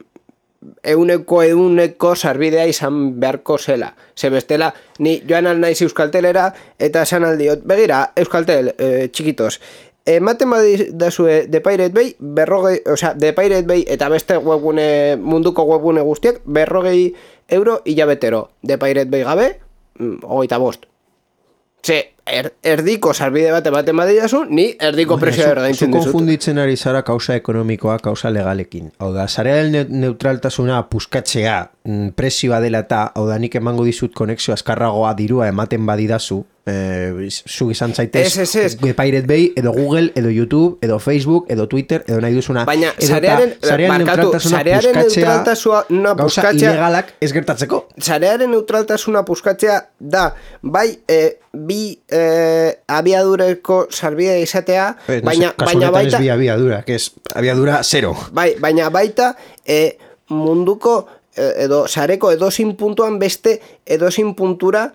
euneko euneko sarbidea izan beharko zela. Ze bestela, ni joan al naiz Euskaltelera eta esan aldiot, begira, Euskaltel, eh, txikitos, ematen badazue The Pirate Bay, berrogei, osea, The Pirate Bay eta beste webgune, munduko webgune guztiak, berrogei euro hilabetero. The Pirate Bay gabe, hogeita bost. Ze, er, erdiko sarbide bat ematen badidazu, ni erdiko presioa erdaintzen dizut. Zu konfunditzen ari zara kausa ekonomikoa, kausa legalekin. Hau da, sarearen neutraltasuna puskatzea presioa dela eta, hau da, nik emango dizut konexio azkarragoa dirua ematen badidazu, eh, zu izan zaitez Pirate Bay, edo Google, edo YouTube, edo Facebook, edo Twitter, edo nahi duzuna. Baina, sarearen, neutraltasuna neutraltasuna gauza ilegalak ez gertatzeko. Sarearen neutraltasuna puskatzea da, bai, eh, bi eh, abiadureko sarbidea izatea, eh, no baina, sé, baina baita... Ez bi abiadura, que es abiadura zero. Bai, baina baita eh, munduko eh, edo sareko edozin puntuan beste edozin puntura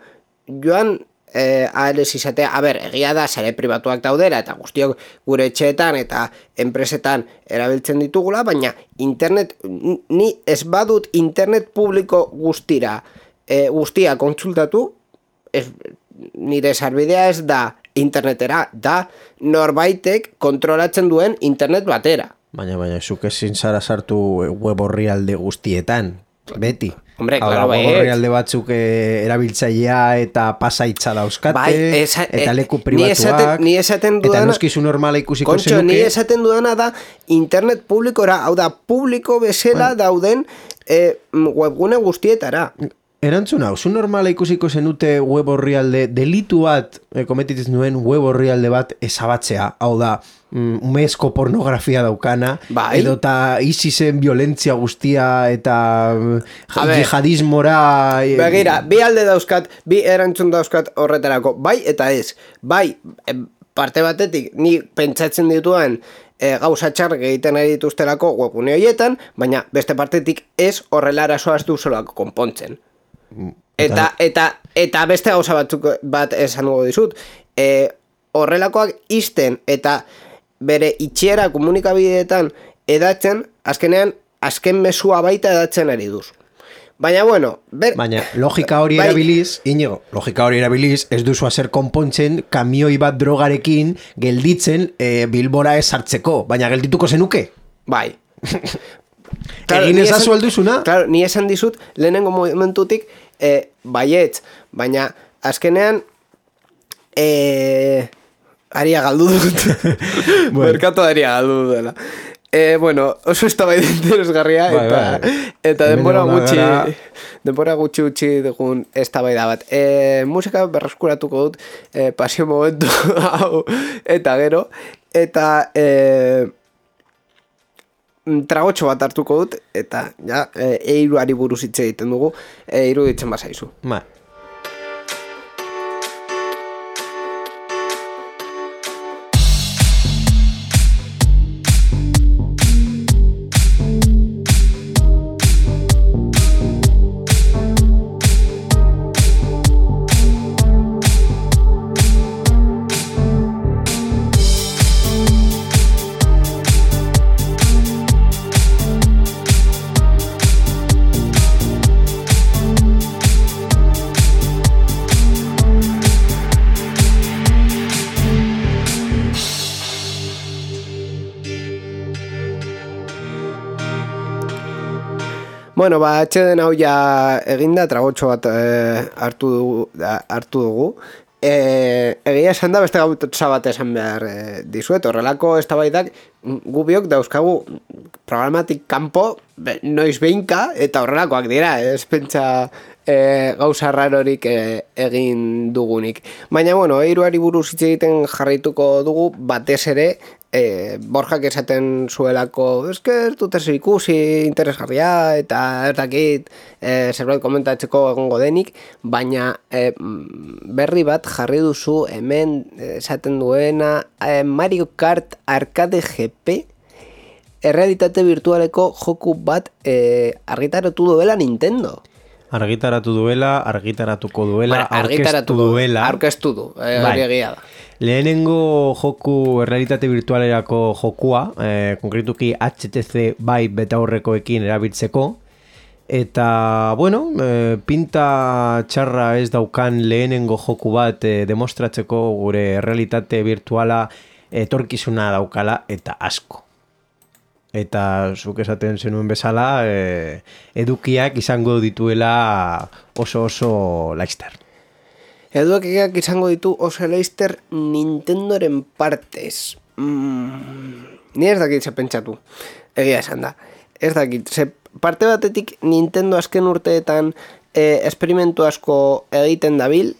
joan eh, ahalez izatea. A ber, egia da sare pribatuak daudera eta guztiok gure etxeetan eta enpresetan erabiltzen ditugula, baina internet, ni ez badut internet publiko guztira eh, guztia kontsultatu, ez, nire sarbidea ez da internetera, da norbaitek kontrolatzen duen internet batera. Baina, baina, zuk ezin zara sartu web orrialde guztietan, beti. Hombre, claro, bai. Web orrialde batzuk eh, erabiltzailea eta pasaitza dauzkate, bai, esa, eta leku eh, pribatuak, ni esaten, ni esaten dudana, eta noskizu normala ikusiko kontxo, zenuke. Ni esaten dudana da internet publikora, hau da, publiko bezala bueno. dauden eh, webgune guztietara. Erantzun hau, zu normala ikusiko zenute web orrialde, delitu bat, eh, kometitzen duen web orrialde bat ezabatzea, hau da, mm, umezko pornografia daukana, bai. edo eta ISISen violentzia guztia, eta jihadismora... Eh, Begira, bi alde dauzkat, bi erantzun dauzkat horretarako, bai eta ez, bai, parte batetik, ni pentsatzen dituan, E, gauza txarrak egiten ari dituztelako webgune horietan, baina beste partetik ez horrela arazoa ez duzulako konpontzen. Eta, eta, eta beste gauza batzuk bat esan dugu dizut, e, horrelakoak izten eta bere itxiera komunikabideetan edatzen, azkenean, azken mesua baita edatzen ari duz. Baina, bueno... Ber... Baina, logika hori erabiliz, bai... Inigo, logika hori erabiliz, ez duzu hazer konpontzen kamioi bat drogarekin gelditzen e, Bilbora ez hartzeko, baina geldituko zenuke? Bai. Claro, egin ezazu alduzuna? Claro, ni esan dizut, lehenengo momentutik, eh, baietz, baina azkenean, eh, aria galdu dut. Bueno. Merkatu aria galdu dela. Eh, bueno, oso ez da bai interesgarria, bai, eta, bai. eta denbora gutxi, denbora gutxi gutxi dugun ez da bai da bat. Eh, musika berreskuratuko dut, eh, pasio momentu hau, eta gero, eta... Eh, tragotxo bat hartuko dut, eta ja, e, eiruari buruz hitz egiten dugu, eiru ditzen bazaizu. Ma. Bueno, ba, atxeden hau ja eginda, tragotxo bat eh, hartu dugu, hartu dugu E, egia esan da beste gauza bat esan behar e, dizuet, horrelako eztabaidak gu biok dauzkagu programatik kanpo be, noiz behinka eta horrelakoak dira, ez pentsa e, gauza rarorik e, egin dugunik. Baina, bueno, hiruari buruz hitz egiten jarraituko dugu batez ere e, Borjak esaten zuelako eske ez dut ez ikusi interesgarria eta ez dakit e, zerbait komentatzeko egongo denik, baina e, berri bat jarri duzu hemen esaten duena e, Mario Kart Arcade G P errealitate virtualeko joku bat e, argitaratu duela Nintendo. Argitaratu duela, argitaratuko duela, bueno, aurkeztu duela. Aurkeztu du, e, hori egia da. Lehenengo joku errealitate virtualerako jokua, eh, konkretuki H T C Vive betaurrekoekin erabiltzeko, eta, bueno, eh, pinta txarra ez daukan lehenengo joku bat eh, demostratzeko gure errealitate virtuala etorkizuna daukala eta asko. Eta zuk esaten zenuen bezala, eh, edukiak izango dituela oso oso laizter. Edukiak izango ditu oso laizter Nintendoren partez. Mm, ni ez dakit ze pentsatu, egia esan da. Ez dakit, ze parte batetik Nintendo azken urteetan eh, esperimentu asko egiten dabil,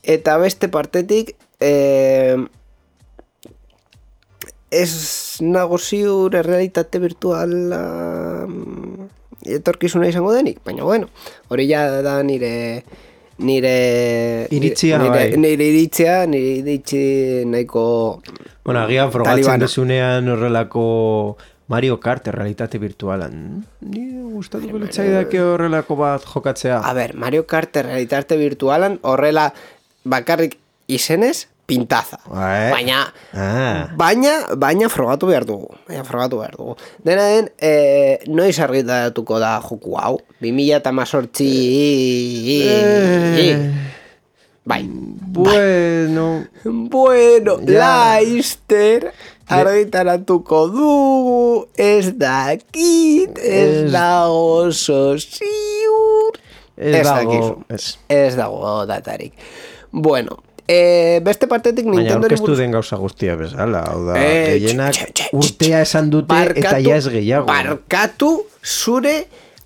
eta beste partetik eh, ez nago ziur errealitate virtuala etorkizuna izango denik, baina bueno, hori ja da nire nire iritzia, nire, bai. nire iritzia, nire iritzi nahiko bueno, agian frogatzen talibana. desunean horrelako Mario Kart errealitate virtualan. Ni gustatuko litzaidake horrelako bat jokatzea. A ber, Mario Kart errealitate virtualan horrela bakarrik izenez pintaza. Eh? Baina, ah. baina, baina frogatu behar dugu. Baina frogatu behar dugu. Dena den, e, noiz argitaratuko da joku hau? bi mila hemezortzi Eh. Bai. Bueno. Bueno, Ja. Laizter argitaratuko dugu, ez dakit, ez Ez- dago oso ziur. Ez dago, dakizu. ez. Ez dago datarik. Bueno, e, beste partetik Baina Nintendori aurkeztu den gauza guztia bezala, hau da, Eh, gehienak tx, tx, tx, urtea esan dute eta ja ez gehiago. Barkatu zure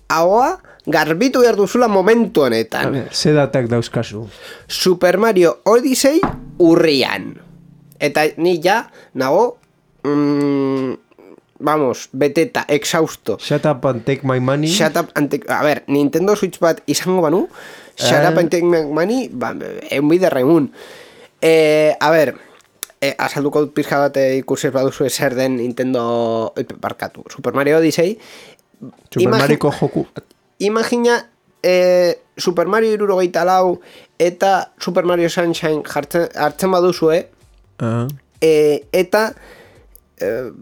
ahoa garbitu behar duzula momentu honetan. Ze datak dauzkazu. Super Mario Odyssey urrian. Eta ni ja nago mm, vamos, beteta, exhausto. Shut up and take my money. Shut up and take... A ver, Nintendo Switch bat izango banu, shut Eh. up and take my money, ba, egun biderregun. Eh, a ver, eh, azalduko dut pizka bat eh, ikusi ez baduzu zer den Nintendo... Eh, barkatu, Super Mario Odyssey. Super Imagi- Mariko joku. Imagina eh, Super Mario hirurogeita lau eta Super Mario Sunshine jartzen, hartzen baduzue, Ah. eh, eta eh,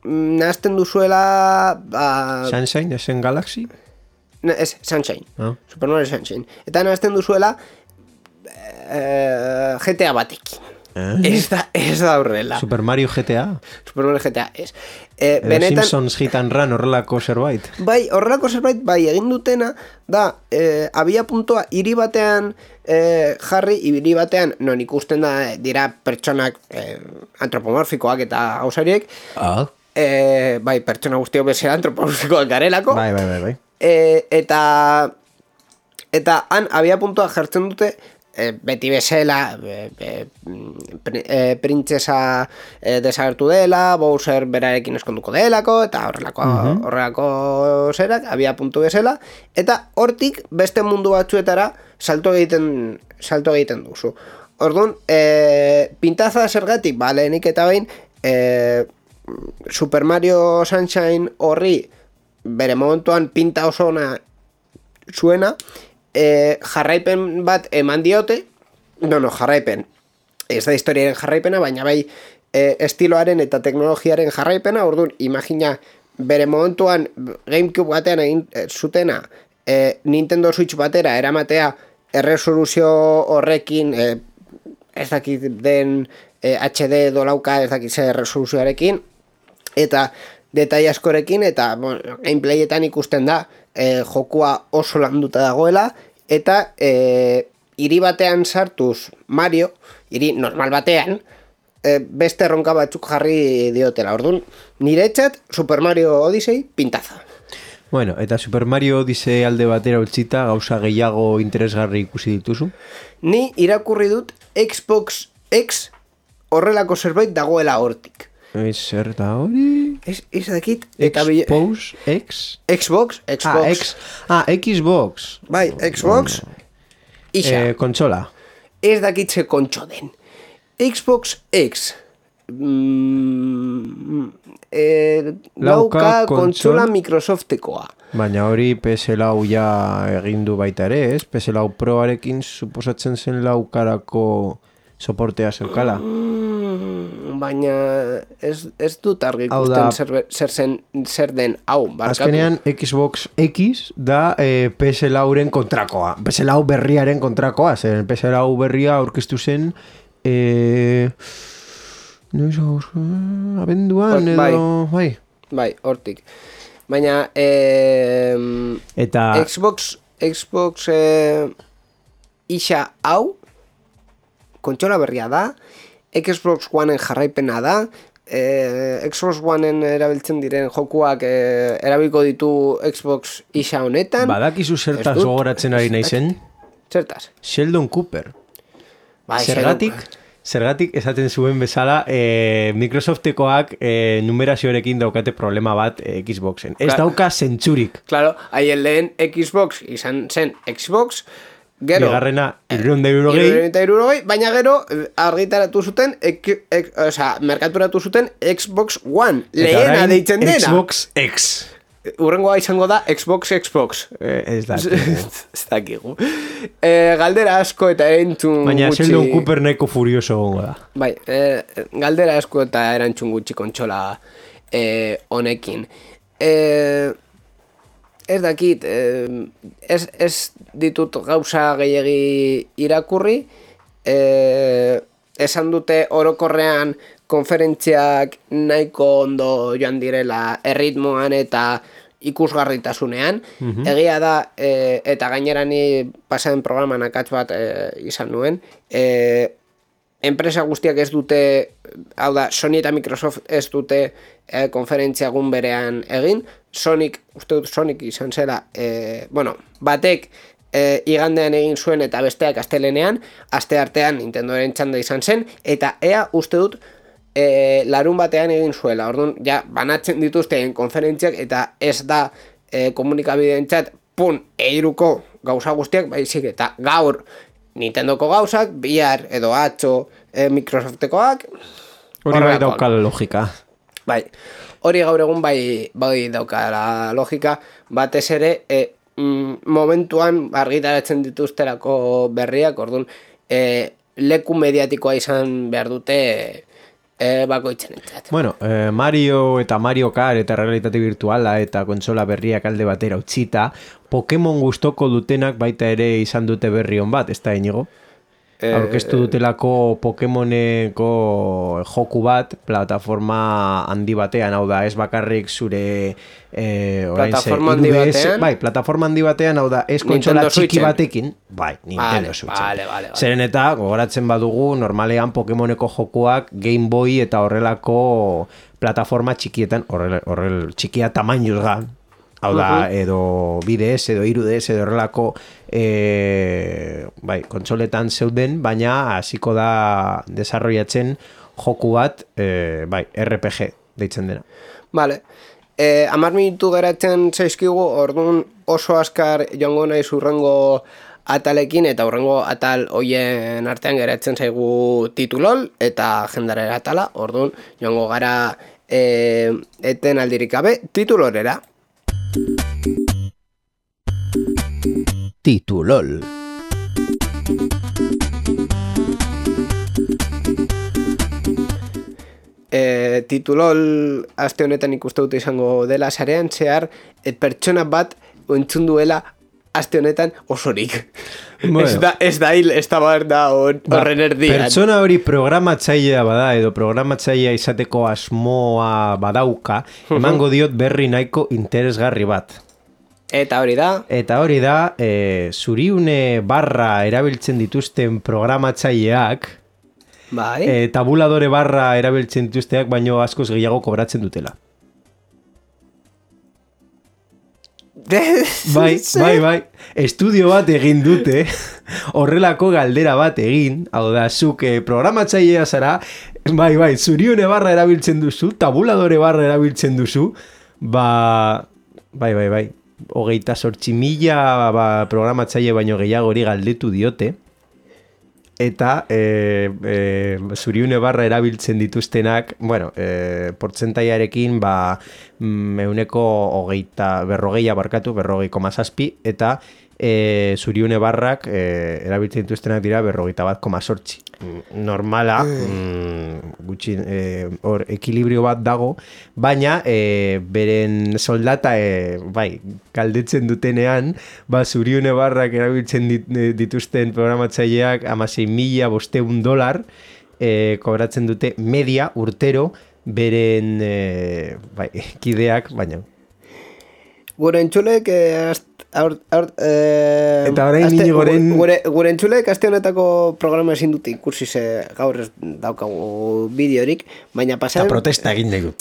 nahazten duzuela ba, Sunshine, esen Galaxy? na, ez, Sunshine, Ah. Super Mario Sunshine, eta nahazten duzuela eh, G T A batekin. Eh? Ez da, ez da horrela. Super Mario G T A? Super Mario G T A, ez. Eh, Edo benetan, Simpsons Hit and Run horrelako zerbait? bai, horrelako zerbait, bai, egin dutena, da, eh, abia puntua hiri batean eh, jarri, hiri batean, non ikusten da, eh, dira pertsonak eh, antropomorfikoak eta gauzariek, Ah. eh, bai, pertsona guztiok bezala antropomorfikoak garelako, Bai, bai, bai, bai. eh, eta, eta han abia puntua jartzen dute, eh, beti bezala, eh, eh, pr- eh, printzesa eh, desagertu dela, Bowser berarekin eskonduko delako, eta horrelako, horrelako zerak, abia puntu bezala, eta hortik beste mundu batzuetara salto egiten, salto egiten duzu. Orduan, eh, pintaza zergatik, ba, lehenik eta behin, eh, Super Mario Sunshine horri bere momentuan pinta oso ona zuena, e, jarraipen bat eman diote, no, no, jarraipen, ez da historiaren jarraipena, baina bai e, estiloaren eta teknologiaren jarraipena, orduan, imagina, bere momentuan GameCube batean egin e, zutena, e, Nintendo Switch batera eramatea erresoluzio horrekin, e, ez dakit den e, H D dolauka, ez dakit zer resoluzioarekin, eta detail askorekin, eta bueno, gameplayetan ikusten da e, jokua oso landuta dagoela, eta e, hiri batean sartuz Mario, hiri normal batean, e, beste erronka batzuk jarri diotela. Orduan, niretzat Super Mario Odyssey pintaza. Bueno, eta Super Mario Odyssey alde batera utzita, gauza gehiago interesgarri ikusi dituzu? Ni irakurri dut Xbox X horrelako zerbait dagoela hortik. Ez zer da hori? Ez, ez dakit. Xbox X? Xbox, Xbox. Ah, X, ah, Xbox. Bai, Xbox. Ixa. Eh, kontsola. Ez dakitze kontxo den. Xbox X. Mm, eh, lauka kontsola Microsoftekoa. Baina hori P S lau ja egindu baita ere, ez? P S lau Proarekin suposatzen zen laukarako soportea zeukala. Mm, baina ez, ez dut argi ikusten zer, zer, zen, zer den hau. Barkatu. Azkenean Xbox X da eh, P S lauren kontrakoa. P S lau berriaren kontrakoa. Zer P S lau berria aurkeztu zen eh, no iso, abenduan edo... Bai, bai, bai hortik. Baina eh, eta Xbox Xbox eh, isa hau kontsola berria da, Xbox Oneen jarraipena da, eh, Xbox Oneen erabiltzen diren jokuak eh, erabiliko ditu Xbox isa honetan. Badakizu zertaz gogoratzen ari naizen? Zertaz? Sheldon Cooper. Bai, zergatik? Zergatik esaten zuen bezala eh, Microsoftekoak eh, numerazioarekin daukate problema bat eh, Xboxen. Ez Claro. dauka zentzurik. Claro, haien lehen Xbox izan zen Xbox, gero... Bigarrena, hirurehun eta hirurogei. hirurogei, baina gero argitaratu zuten, ek, ek, oza, merkaturatu zuten Xbox One, lehena deitzen dena. Xbox X. Urrengoa izango da Xbox Xbox. Eh, ez da. Ez dakigu. Eh, galdera asko eta entzun Baina gutxi... Sheldon Cooper nahiko furioso gongo da. Bai, eh, galdera asko eta erantzun gutxi kontsola eh, honekin. Eh, ez dakit, eh, ez, ez ditut gauza gehiegi irakurri, eh, esan dute orokorrean konferentziak nahiko ondo joan direla erritmoan eta ikusgarritasunean. Mm-hmm. Egia da, e, eta gainera ni pasaden programan akats bat e, izan nuen, e, enpresa guztiak ez dute, hau da, Sony eta Microsoft ez dute e, konferentzia egun berean egin. Sonic, uste dut Sonic izan zela, e, bueno, batek e, igandean egin zuen eta besteak astelenean, aste artean Nintendoren txanda izan zen, eta ea uste dut E, larun batean egin zuela, orduan, ja, banatzen dituzten konferentziak eta ez da e, komunikabideen txat, pun, eiruko gauza guztiak, baizik, eta gaur Nintendoko gauzak, bihar edo atxo e, Microsoftekoak. Hori bai daukala logika. Bai, hori gaur egun bai, bai daukala logika, batez ere, e, mm, momentuan argitaratzen dituzterako berriak, orduan, e, leku mediatikoa izan behar dute... E, bakoitzen entzat. Bueno, eh, Mario eta Mario Kart eta realitate virtuala eta kontsola berriak alde batera utzita, Pokemon gustoko dutenak baita ere izan dute berri on bat, ez da inigo? E... Aurkeztu dutelako Pokemoneko joku bat, plataforma handi batean, hau da, ez bakarrik zure... Eh, plataforma handi batean? Bai, plataforma handi batean, hau da, ez kontsola txiki batekin. Bai, Nintendo vale, Switchen. Vale, vale, vale. Zeren eta, gogoratzen badugu, normalean Pokemoneko jokuak Game Boy eta horrelako plataforma txikietan, horrel, horrel txikia tamainuz ga, hau da, uh-huh. edo bi D S, edo hiru D S, edo horrelako e, bai, kontsoletan zeuden, baina hasiko da desarrollatzen joku bat, e, bai, R P G deitzen dena. Vale. Eh, amar minutu geratzen zaizkigu, orduan oso askar joango naiz urrengo atalekin, eta urrengo atal hoien artean geratzen zaigu titulol eta jendarera atala, orduan joango gara eh, eten aldirik gabe titulorera. Titulol. E, titulol aste honetan ikuste dute izango dela sarean zehar et pertsona bat entzun duela aste honetan osorik. Bueno. Ez da, ez da hil, ez da bar da horren erdian. Pertsona hori programatzailea bada edo programatzailea izateko asmoa badauka, emango diot berri nahiko interesgarri bat. Eta hori da? Eta hori da, e, zuriune barra erabiltzen dituzten programatzaileak, Bai. e, tabuladore barra erabiltzen dituzteak, baino askoz gehiago kobratzen dutela. Bai, bai, bai. Estudio bat egin dute, horrelako galdera bat egin, hau da, zuk eh, programatzailea zara, bai, bai, zuriune barra erabiltzen duzu, tabuladore barra erabiltzen duzu, ba, bai, bai, bai, hogeita sortzi mila ba, programatzaile baino gehiago hori galdetu diote, eta e, e, zuriune barra erabiltzen dituztenak, bueno, e, portzentaiarekin, ba, euneko hogeita, berrogeia barkatu, berrogei koma zazpi, eta e, zuriune barrak e, erabiltzen dituztenak dira berrogeita bat koma sortzi. Normala, mm, gutxi, e, hor, ekilibrio bat dago, baina e, beren soldata, e, bai, galdetzen dutenean, ba, zuriune barrak erabiltzen dit, dituzten programatzaileak amasei mila bosteun dolar e, kobratzen dute media urtero beren e, bai, kideak, baina. Gure entzulek, eh, ast, aur, aur, eh, eta orain aste, Inigoren... Gure, gure entzulek aste honetako programa ezin dute ikusi ze gaur ez daukagu bideorik, baina pasaden... Eta protesta egin dugu.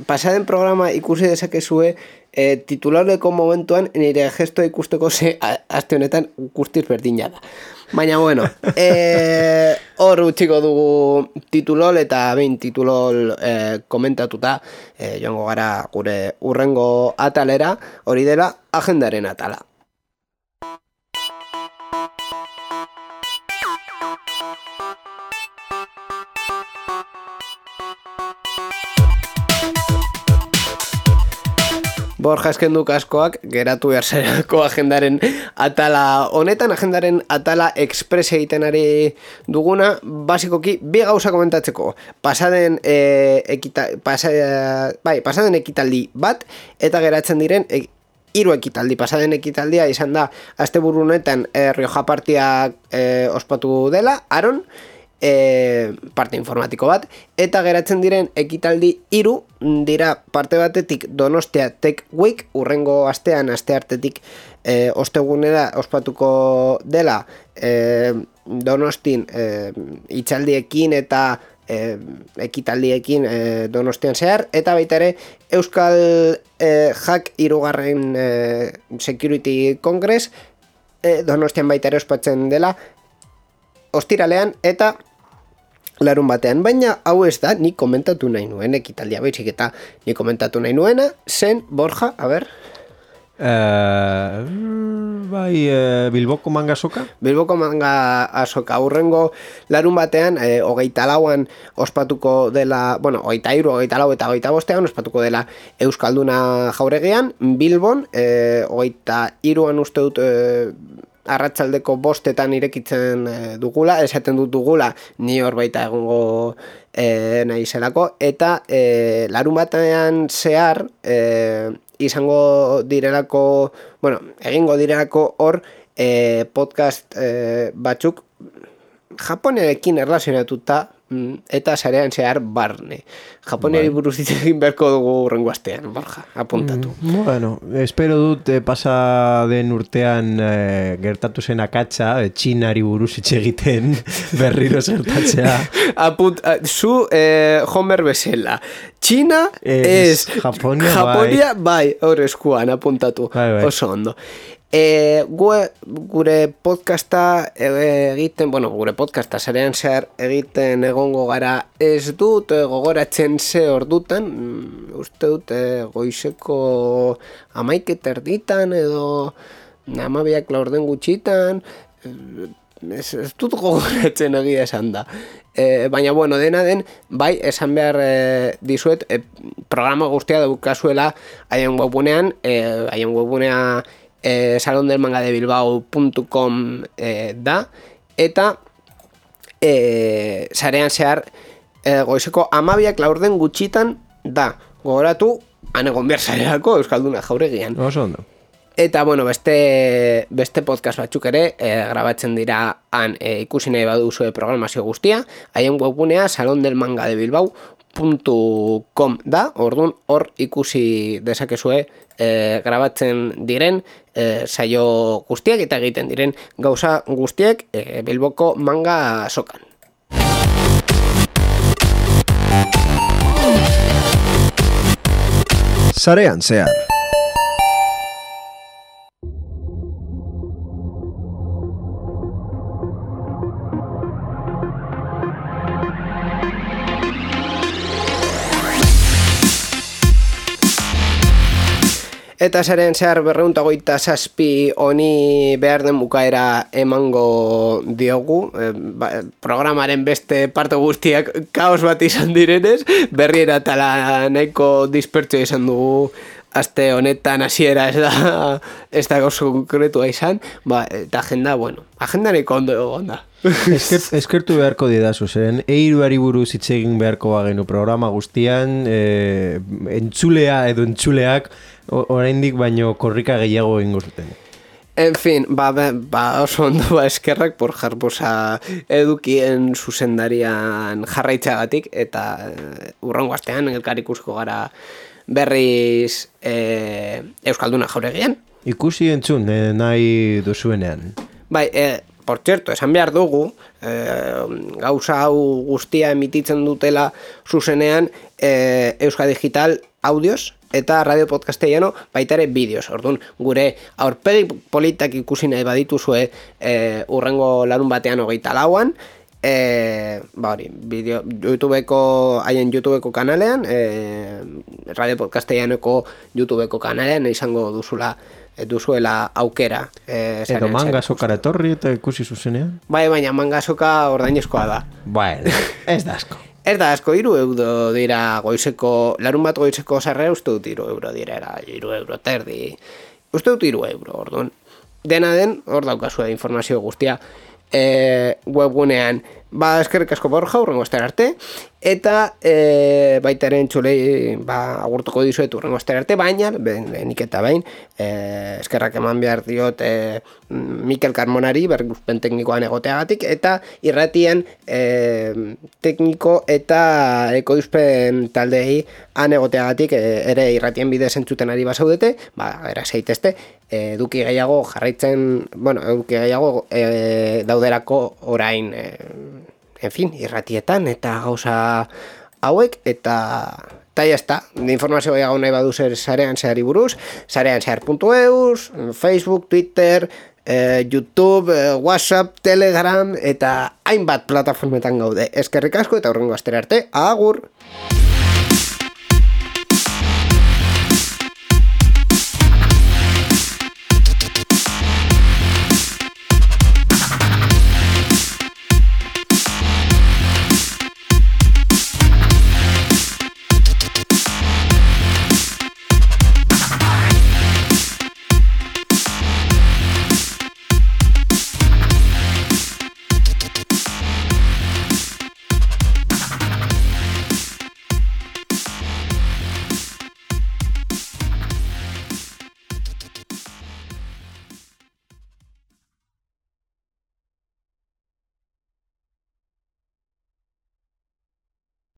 Pasaden programa ikusi dezakezue eh, titularleko momentuan nire gesto ikusteko ze aste honetan guztiz berdina da. Baina bueno, eh, hor utxiko dugu titulol eta behin titulol eh, komentatuta eh, joango gara gure urrengo atalera, hori dela agendaren atala. Borja eskendu kaskoak geratu behartzerako agendaren atala honetan, agendaren atala express egiten ari duguna, basikoki bi gauza komentatzeko. Pasaden e, ekita, pasa, bai, pasaden ekitaldi bat eta geratzen diren e, hiru ekitaldi. Pasaden ekitaldia izan da asteburu honetan e, Rioja partiak e, ospatu dela, Aron, E, parte informatiko bat, eta geratzen diren ekitaldi hiru dira parte batetik Donostia Tech Week, urrengo astean, asteartetik e, ostegunera ospatuko dela e, Donostin e, itxaldiekin eta e, ekitaldiekin e, Donostian zehar, eta baita ere Euskal e, Hack hirugarren e, Security Congress e, Donostian baita ere ospatzen dela ostiralean eta larun batean, baina hau ez da ni komentatu nahi nuen ekitaldia, baizik eta ni komentatu nahi nuena zen, Borja, a ber? Uh, bai, uh, Bilboko manga azoka? Bilboko manga azoka, urrengo larun batean, eh, hogeita lauan ospatuko dela, bueno, hogeita iru, hogeita lau eta hogeita bostean ospatuko dela Euskalduna Jauregian, Bilbon, eh, hogeita iruan uste dut... Eh, arratsaldeko bostetan irekitzen e, dugula, esaten dut dugula, ni hor baita egongo e, nahi zelako, eta e, larun batean zehar e, izango direlako, bueno, egingo direlako hor e, podcast e, batzuk Japonerekin erlazionatuta eta sarean zehar barne. Japoniari bai. Buruz egin beharko dugu urrengo astean, Borja, apuntatu. Mm, bueno, espero dut eh, pasa den urtean eh, gertatu zen akatsa, eh, Txinari buruz etxe egiten berriro zertatzea. Apunt, zu eh, Homer bezala. Txina ez Japonia, Japonia bai, hor eskuan apuntatu, bai, bai. Oso ondo. E, gure, gure podcasta egiten, bueno, gure podcasta sarean zehar egiten egongo gara ez dut gogoratzen ze ordutan, uste dut goizeko amaik erditan edo amabiak laurden gutxitan, ez, ez dut gogoratzen egia esan da. E, baina, bueno, dena den, bai, esan behar e, dizuet, e, programa guztia daukazuela haien webunean, e, haien webunea Eh, salon del manga de bilbao punto com eh, da, eta eh, sarean zehar eh, goizeko amabiak laurden gutxitan da, gogoratu anegon behar zareako Euskalduna Jauregian. Oso ondo. Eta, bueno, beste, beste podcast batzuk ere eh, grabatzen dira han eh, ikusi nahi baduzu programazio guztia, haien webgunea salon del manga de bilbao puntu com da, orduan hor ikusi dezakezue e, grabatzen diren e, saio guztiak eta egiten diren gauza guztiek e, Bilboko manga azokan. Sarean zehar. Eta zaren zehar berreuntagoita zazpi honi behar den bukaera emango diogu, e, ba, programaren beste parte guztiak kaos bat izan direnez, berriera tala nahiko dispertsio izan dugu aste honetan hasiera ez da, ez da gauza konkretua izan, ba, eta agenda, bueno, agenda nahiko ondo egon da. Esker, eskertu beharko didazu, zeren eiruari buruz hitz egin beharko bagenu programa guztian, e, entzulea edo entzuleak oraindik baino korrika gehiago egingo zuten. En fin, ba, ba oso ondo ba eskerrak por jarposa edukien zuzendarian jarraitzagatik eta e, urrengo astean elkar ikusko gara berriz e, Euskalduna Jauregian. Ikusi entzun, e, nahi duzuenean. Bai, e, por cierto, esan behar dugu, eh, gauza hau guztia emititzen dutela zuzenean eh, Euska Digital audioz eta Radio Podcastellano baita ere bideoz. Orduan, gure aurpegi politak ikusi nahi badituzue eh, urrengo larun batean hogeita lauan, eh, ba hori, bideo, YouTubeko, haien YouTubeko kanalean, eh, Radio Podcastellanoko YouTubeko kanalean izango duzula duzuela aukera. Eh, Edo manga sokara etorri eta ikusi zuzenean? Bai, baina manga soka ordainezkoa da. Bueno, ez da asko. Ez da asko, hiru euro dira goizeko, larun bat goizeko sarrera uste dut hiru euro dira, hiru euro terdi. Uste dut hiru euro, orduan. Dena den, hor daukazue informazio guztia e, webgunean. Ba, eskerrik asko Borja, urrengo astera arte, eta e, baita ere entzulei ba, agurtuko dizuet urrengo astera arte, baina, benik eta bain, e, eskerrak eman behar diot e, Mikel Carmonari, berguzpen teknikoan egoteagatik, eta irratian e, tekniko eta ekoizpen taldei han egoteagatik, e, ere irratien bidez entzuten ari basaudete, ba, era zeitezte, eduki gehiago jarraitzen, bueno, eduki gehiago e, dauderako orain, e, en fin, irratietan eta gauza hauek, eta eta jazta, informazio gehiago nahi badu zer sarean zehari buruz, sarean zehar puntu eus, Facebook, Twitter, eh, YouTube, eh, WhatsApp, Telegram, eta hainbat plataformetan gaude. Eskerrik asko eta hurrengo astera arte, agur!